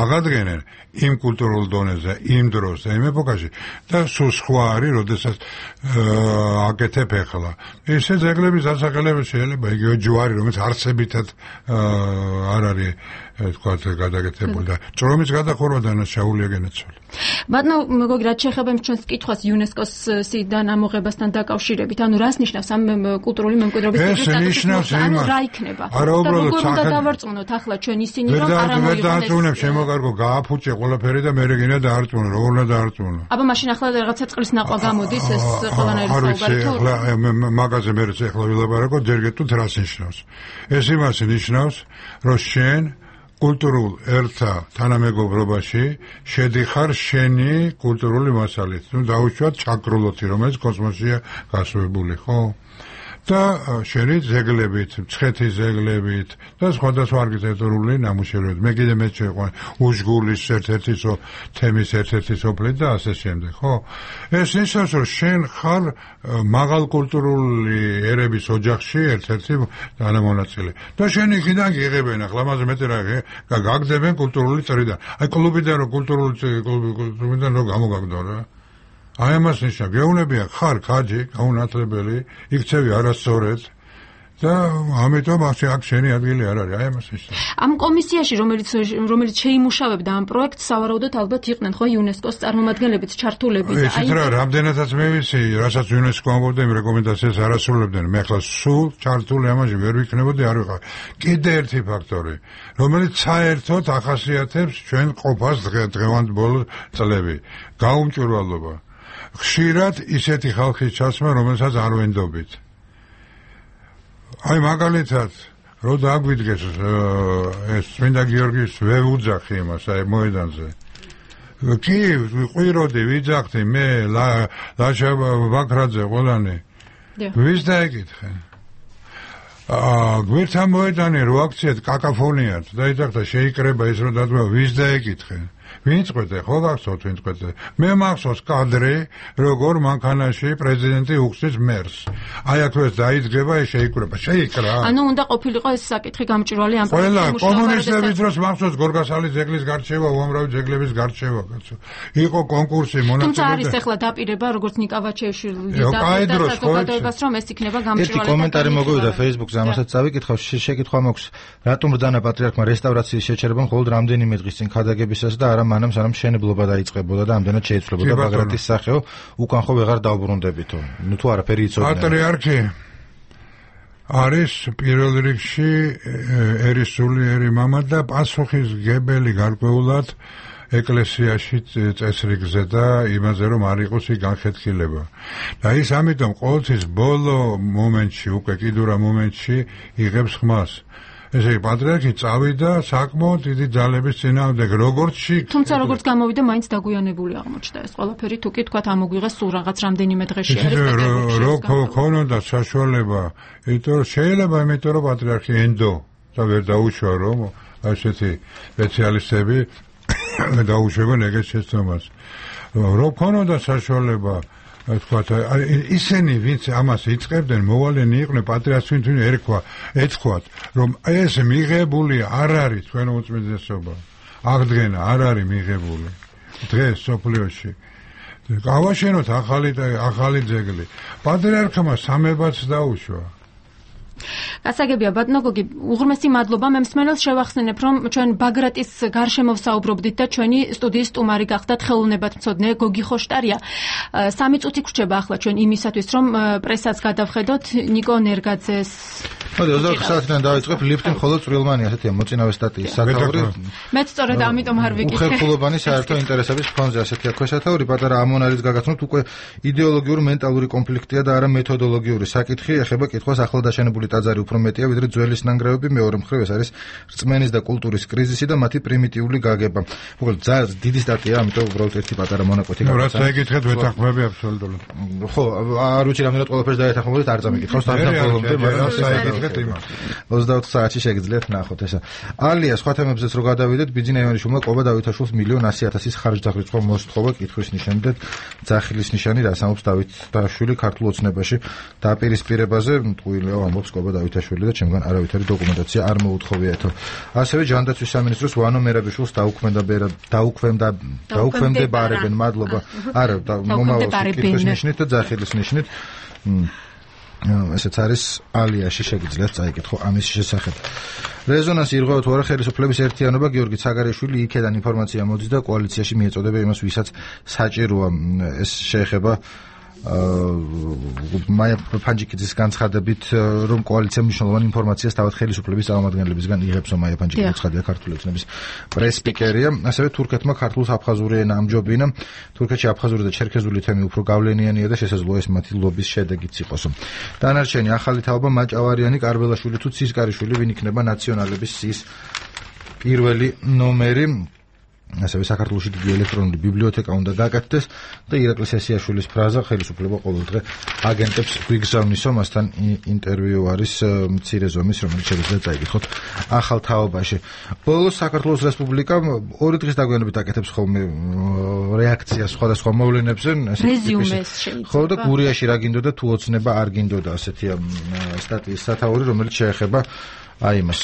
აღადგენენ იმ კულტურულ დონეზე, იმ დროს და იმ ეპოქაში და სულ სხვა არის, როდესაც აკეთებ ახლა. ესე ძეგლების დასახელება შეიძლება იგივე ჯვარი, რომელიც არსებითად არ არის თქვა გადაკეთებული და წრომის გადახურვა დანაშაულია განაცვალი. ბატონო მოგოგი, რაც შეეხება ჩვენს კითხვას იუნესკოს სიდან ამოღებასთან დაკავშირებით, ანუ რას ნიშნავს ამ კულტურული მემკვიდრეობის სტატუსი? ანუ რა იქნება? არა უბრალოდ უნდა დავარწმუნოთ ახლა ჩვენ ისინი რომ არ ამოიღოს. ვერ დაარწმუნებ, შემოგარგო, გააფუჭე ყველაფერი და მე რეგინა დაარწმუნო, როგორ უნდა დაარწმუნო? აბა მაშინ ახლა რაღაცა წყლის ნახვა გამოდის ეს ყველანაირი საუბარი თუ მაგაზე მე ახლა ვილაპარაკო, ჯერ გეტყვით რას ნიშნავს. ეს იმას ნიშნავს, რომ შენ კულტურულ ერთა თანამეგობრობაში შედიხარ შენი კულტურული მასალით. ნუ დაუშვათ ჩაკრულოთი, რომელიც კოსმოსია გასვებული, ხო? და შენი ზეგლებით, მცხეთის ზეგლებით და სხვადასხვა არქიტექტურული ნამუშევრებით. მე კიდე მე შეყვან უშგულის ერთ-ერთი თემის ერთ-ერთი სოფლით და ასე შემდეგ, ხო? ეს ნიშნავს, რომ შენ ხარ მაღალ კულტურული ერების ოჯახში ერთ-ერთი თანამონაწილე. და შენ იქიდან გიღებენ, ახლა ამაზე მეტი რა გაგდებენ კულტურული წრიდან. აი კლუბიდან რო კულტურული კლუბიდან რო გამოგაგდო რა. აი ამას ნიშნა, გეუნებია ხარ ხაჯი, გაუნათლებელი, იქცევი არასწორად და ამიტომ აქ შენი ადგილი არ არის, აი ამას ნიშნა. ამ კომისიაში, რომელიც რომელიც შეიმუშავებდა ამ პროექტს, სავარაუდოდ ალბათ იყვნენ ხო იუნესკოს წარმომადგენლებიც ჩართულები და აი რა, რამდენადაც მე ვიცი, რასაც იუნესკო ამბობდა, იმ რეკომენდაციას არ ასრულებდნენ. მე ახლა სულ ჩართული ამაში ვერ ვიქნებოდი, არ ვიყავ. კიდე ერთი ფაქტორი, რომელიც საერთოდ ახასიათებს ჩვენ ყოფას დღევანდელ წლები, გაუმჭვირვალობა. ხშირად ისეთი ხალხის ჩაცმა, რომელსაც არ ვენდობით. აი მაგალითად, რო დაგვიდგეს ეს წმინდა გიორგის ვეუძახი იმას, აი მოედანზე. კი, ყვიროდი, ვიძახდი, მე ლაშა ბაქრაძე ყველანი. ვის დაეკითხე? აა, გვერდთან მოედანი რო აქციეთ კაკაფონიად, დაიძახდა შეიკრება ის რო დადმა, ვის დაეკითხე? ვინ წყვეტე, ხო გახსოვთ ვინ წყვეტე? მე მახსოვს კადრი, როგორ მანქანაში პრეზიდენტი უხსნის მერს. აი აქ ეს დაიძგება, ეს შეიკრება, შეიკრა. ანუ უნდა ყოფილიყო ეს საკითხი გამჭვირვალე ამ ყველა კომუნისტების დროს მახსოვს გორგასალის ძეგლის გარჩევა, უამრავი ძეგლების გარჩევა, კაცო. იყო კონკურსი მონაწილე. თუმცა არის ახლა დაპირება, როგორც ნიკავაჩეშვილი და საზოგადოებას, რომ ეს იქნება გამჭვირვალე. ერთი კომენტარი მოგვივიდა Facebook-ზე, ამასაც წავიკითხავ, შეკითხვა მაქვს, რატომ ბრძანა პატრიარქმა რესტავრაციის შეჩერება მხოლოდ რამდენიმე დღის წინ ქადაგებისას და არა მანამ სანამ მშენებლობა დაიწყებოდა და ამდენად შეიცვლებოდა ბაგრატის სახეო, უკან ხო ვეღარ დაუბრუნდებითო. ნუ თუ არაფერი იცოდნენ. პატრიარქი არის პირველ რიგში ერისულიერი მამა და პასუხისმგებელი გარკვეულად ეკლესიაში წესრიგზე და იმაზე რომ არ იყოს ის განხეთქილება. და ის ამიტომ ყოველთვის ბოლო მომენტში, უკვე კიდურა მომენტში იღებს ხმას. ესე იგი პატრიარქი წავიდა საკმაოდ დიდი ძალების წინააღმდეგ, როგორც შიგ. თუმცა როგორც გამოვიდა, მაინც დაგვიანებული აღმოჩნდა ეს ყველაფერი, თუ კი თქვა ამოგვიღეს სულ რაღაც რამდენიმე დღეში არის პეტერბურგში. რო ქონოდა საშუალება, იმიტომ რომ შეიძლება, იმიტომ რომ პატრიარქი ენდო და ვერ დაუშვა რომ ასეთი სპეციალისტები დაუშვებენ ეგეთ შეცდომას. რო ქონოდა საშუალება თქვათ ისინი ვინც ამას იწყებდნენ მოვალენი იყვნენ პატრიარქს ვინ ერქვა ეთქვათ რომ ეს მიღებული არ არის თქვენ უწმიდესობა აღდგენა არ არის მიღებული დღეს სოფლიოში გავაშენოთ ახალი ახალი ძეგლი პატრიარქმა სამებაც დაუშვა გასაგებია ბატონო გოგი უღრმესი მადლობა მე მსმენელს შევახსენებ რომ ჩვენ ბაგრატის გარშემო ვსაუბრობდით და ჩვენი სტუდიის სტუმარი გახდათ ხელოვნებათმცოდნე გოგი ხოშტარია სამი წუთი გრჩება ახლა ჩვენ იმისათვის რომ პრესაც გადავხედოთ ნიკო ნერგაძეს მოდი ოცდაოთხ საათიდან დავიწყებ ლიფტი მხოლოდ წვრილმანი ასეთია მოწინავე სტატიის სათაური მეც სწორედ ამიტომ არ ვიკითხე უხერხულობანი საერთო ინტერესების ფონზე ასეთია ქვესათაური პატარა ამონარის გაგაცნოთ უკვე იდეოლოგიური მენტალური კონფლიქტია და არა მეთოდოლოგიური საკითხი ეხება კითხვას ახლადაშენებული ტაძარი უფრო მეტია ვიდრე ძველის ნანგრევები მეორე მხრივ ეს არის რწმენის და კულტურის კრიზისი და მათი პრიმიტიული გაგება უბრალოდ ძალიან დიდი სტატია ამიტომ უბრალოდ ერთი პატარა მონაკვეთი გაგაცნოთ რაც ეკითხეთ ვეთანხმები აბსოლუტურად ხო არ ვიცი რამდენად ყველაფერს დაეთანხმებოდით არ წამიკითხავს თანხმობამდე მაგრამ ოცდაოთხ საათში შეგიძლიათ ნახოთ ესა. ალია სხვა თემებზეც რო გადავიდეთ, ბიძინა ივანიშვილმა ყობა დავითაშვილს მილიონ ასი ათასის ხარჯდაღრიცხვა მოსთხოვა კითხვის ნიშანით ძახილის ნიშანი დასამობს დავითაშვილი ქართულ ოცნებაში დაპირისპირებაზე მტყუილეო ამბობს ყობა დავითაშვილი და ჩემგან არავითარი დოკუმენტაცია არ მოუთხოვიათო. ასევე ჯანდაცვის სამინისტროს ვანო მერაბიშვილს დაუქმდა დაუქმდა დაუქმდებარებენ მადლობა. არა მომავალ კითხვის ნიშნით და ძახილის ნიშნით ესეც არის ალიაში შეგიძლიათ წაიკითხო ამის შესახებ. რეზონანსი ირღვევა თუ არა ხელისუფლების ერთიანობა გიორგი ცაგარიშვილი იქედან ინფორმაცია მოდის და კოალიციაში მიეწოდება იმას ვისაც საჭიროა ეს შეეხება მაია ფანჯიკიძის განცხადებით რომ კოალიცია მნიშვნელოვანი ინფორმაციას თავად ხელისუფლების წარმომადგენლებისგან იღებსო მაია ფანჯიკიძე ცხადია ქართული ოცნების პრეს-სპიკერია ასევე თურქეთმა ქართულს აფხაზური ენა ამჯობინა თურქეთში აფხაზური და ჩერქეზული თემი უფრო გავლენიანია და შესაძლოა ეს მათი ლობის შედეგიც იყოსო დანარჩენი ახალი თაობა მაჭავარიანი კარბელაშვილი თუ ცისკარიშვილი ვინ იქნება ნაციონალების სის პირველი ნომერი ასევე საქართველოში დიდი ელექტრონული ბიბლიოთეკა უნდა გაკეთდეს და ირაკლი სესიაშვილის ფრაზა ხელისუფლება ყოველდღე აგენტებს გვიგზავნისო მასთან ინტერვიუ არის მცირე ზომის რომელიც შეიძლება წაიკითხოთ ახალ თაობაში. ბოლოს საქართველოს რესპუბლიკა ორი დღის დაგვიანებით აკეთებს ხოლმე რეაქციას სხვადასხვა მოვლენებზე რეზიუმეს შეიძლება ხო და გურიაში რა გინდოდა თუ ოცნება არ გინდოდა ასეთია სტატიის სათაური რომელიც შეეხება აი მას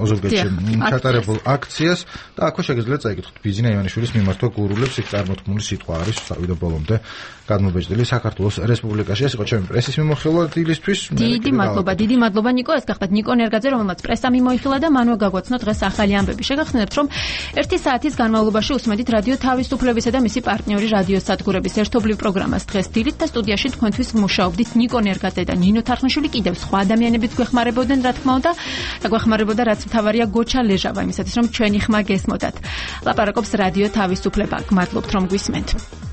ოზურგეთში ჩატარებულ აქციას და აქვე შეგიძლიათ წაიკითხოთ ბიზინა ივანიშვილის მიმართვა გურულებს იქ წარმოთქმული სიტყვა არის წავიდა ბოლომდე გადმობეჭდილი საქართველოს რესპუბლიკაში. ეს იყო ჩემი პრესის მიმოხილვა დილისთვის. დიდი მადლობა, დიდი მადლობა ნიკო. ეს გახდათ ნიკო ნერგაძე, რომელმაც პრესა მიმოიხილა და მანვე გაგვაცნო დღეს ახალი ამბები. შეგახსენებთ, რომ ერთი საათის განმავლობაში უსმენთ რადიო თავისუფლებისა და მისი პარტნიორი რადიო სადგურების ერთობლივ პროგრამას დღეს დილით და სტუდიაში თქვენთვის მუშაობდით ნიკო ნერგაძე და ნინო თარხნიშვილი. კიდევ სხვა ადამიანებიც გვეხმარებოდნენ, რა თქმა უნდა, და გვეხმარებოდა რაც მთავარია გოჩა ლეჟავა, იმისათვის რომ ჩვენი ხმა გესმოდათ. ლაპარაკობს რადიო თავისუფლება. გმადლობთ რომ გვისმენთ.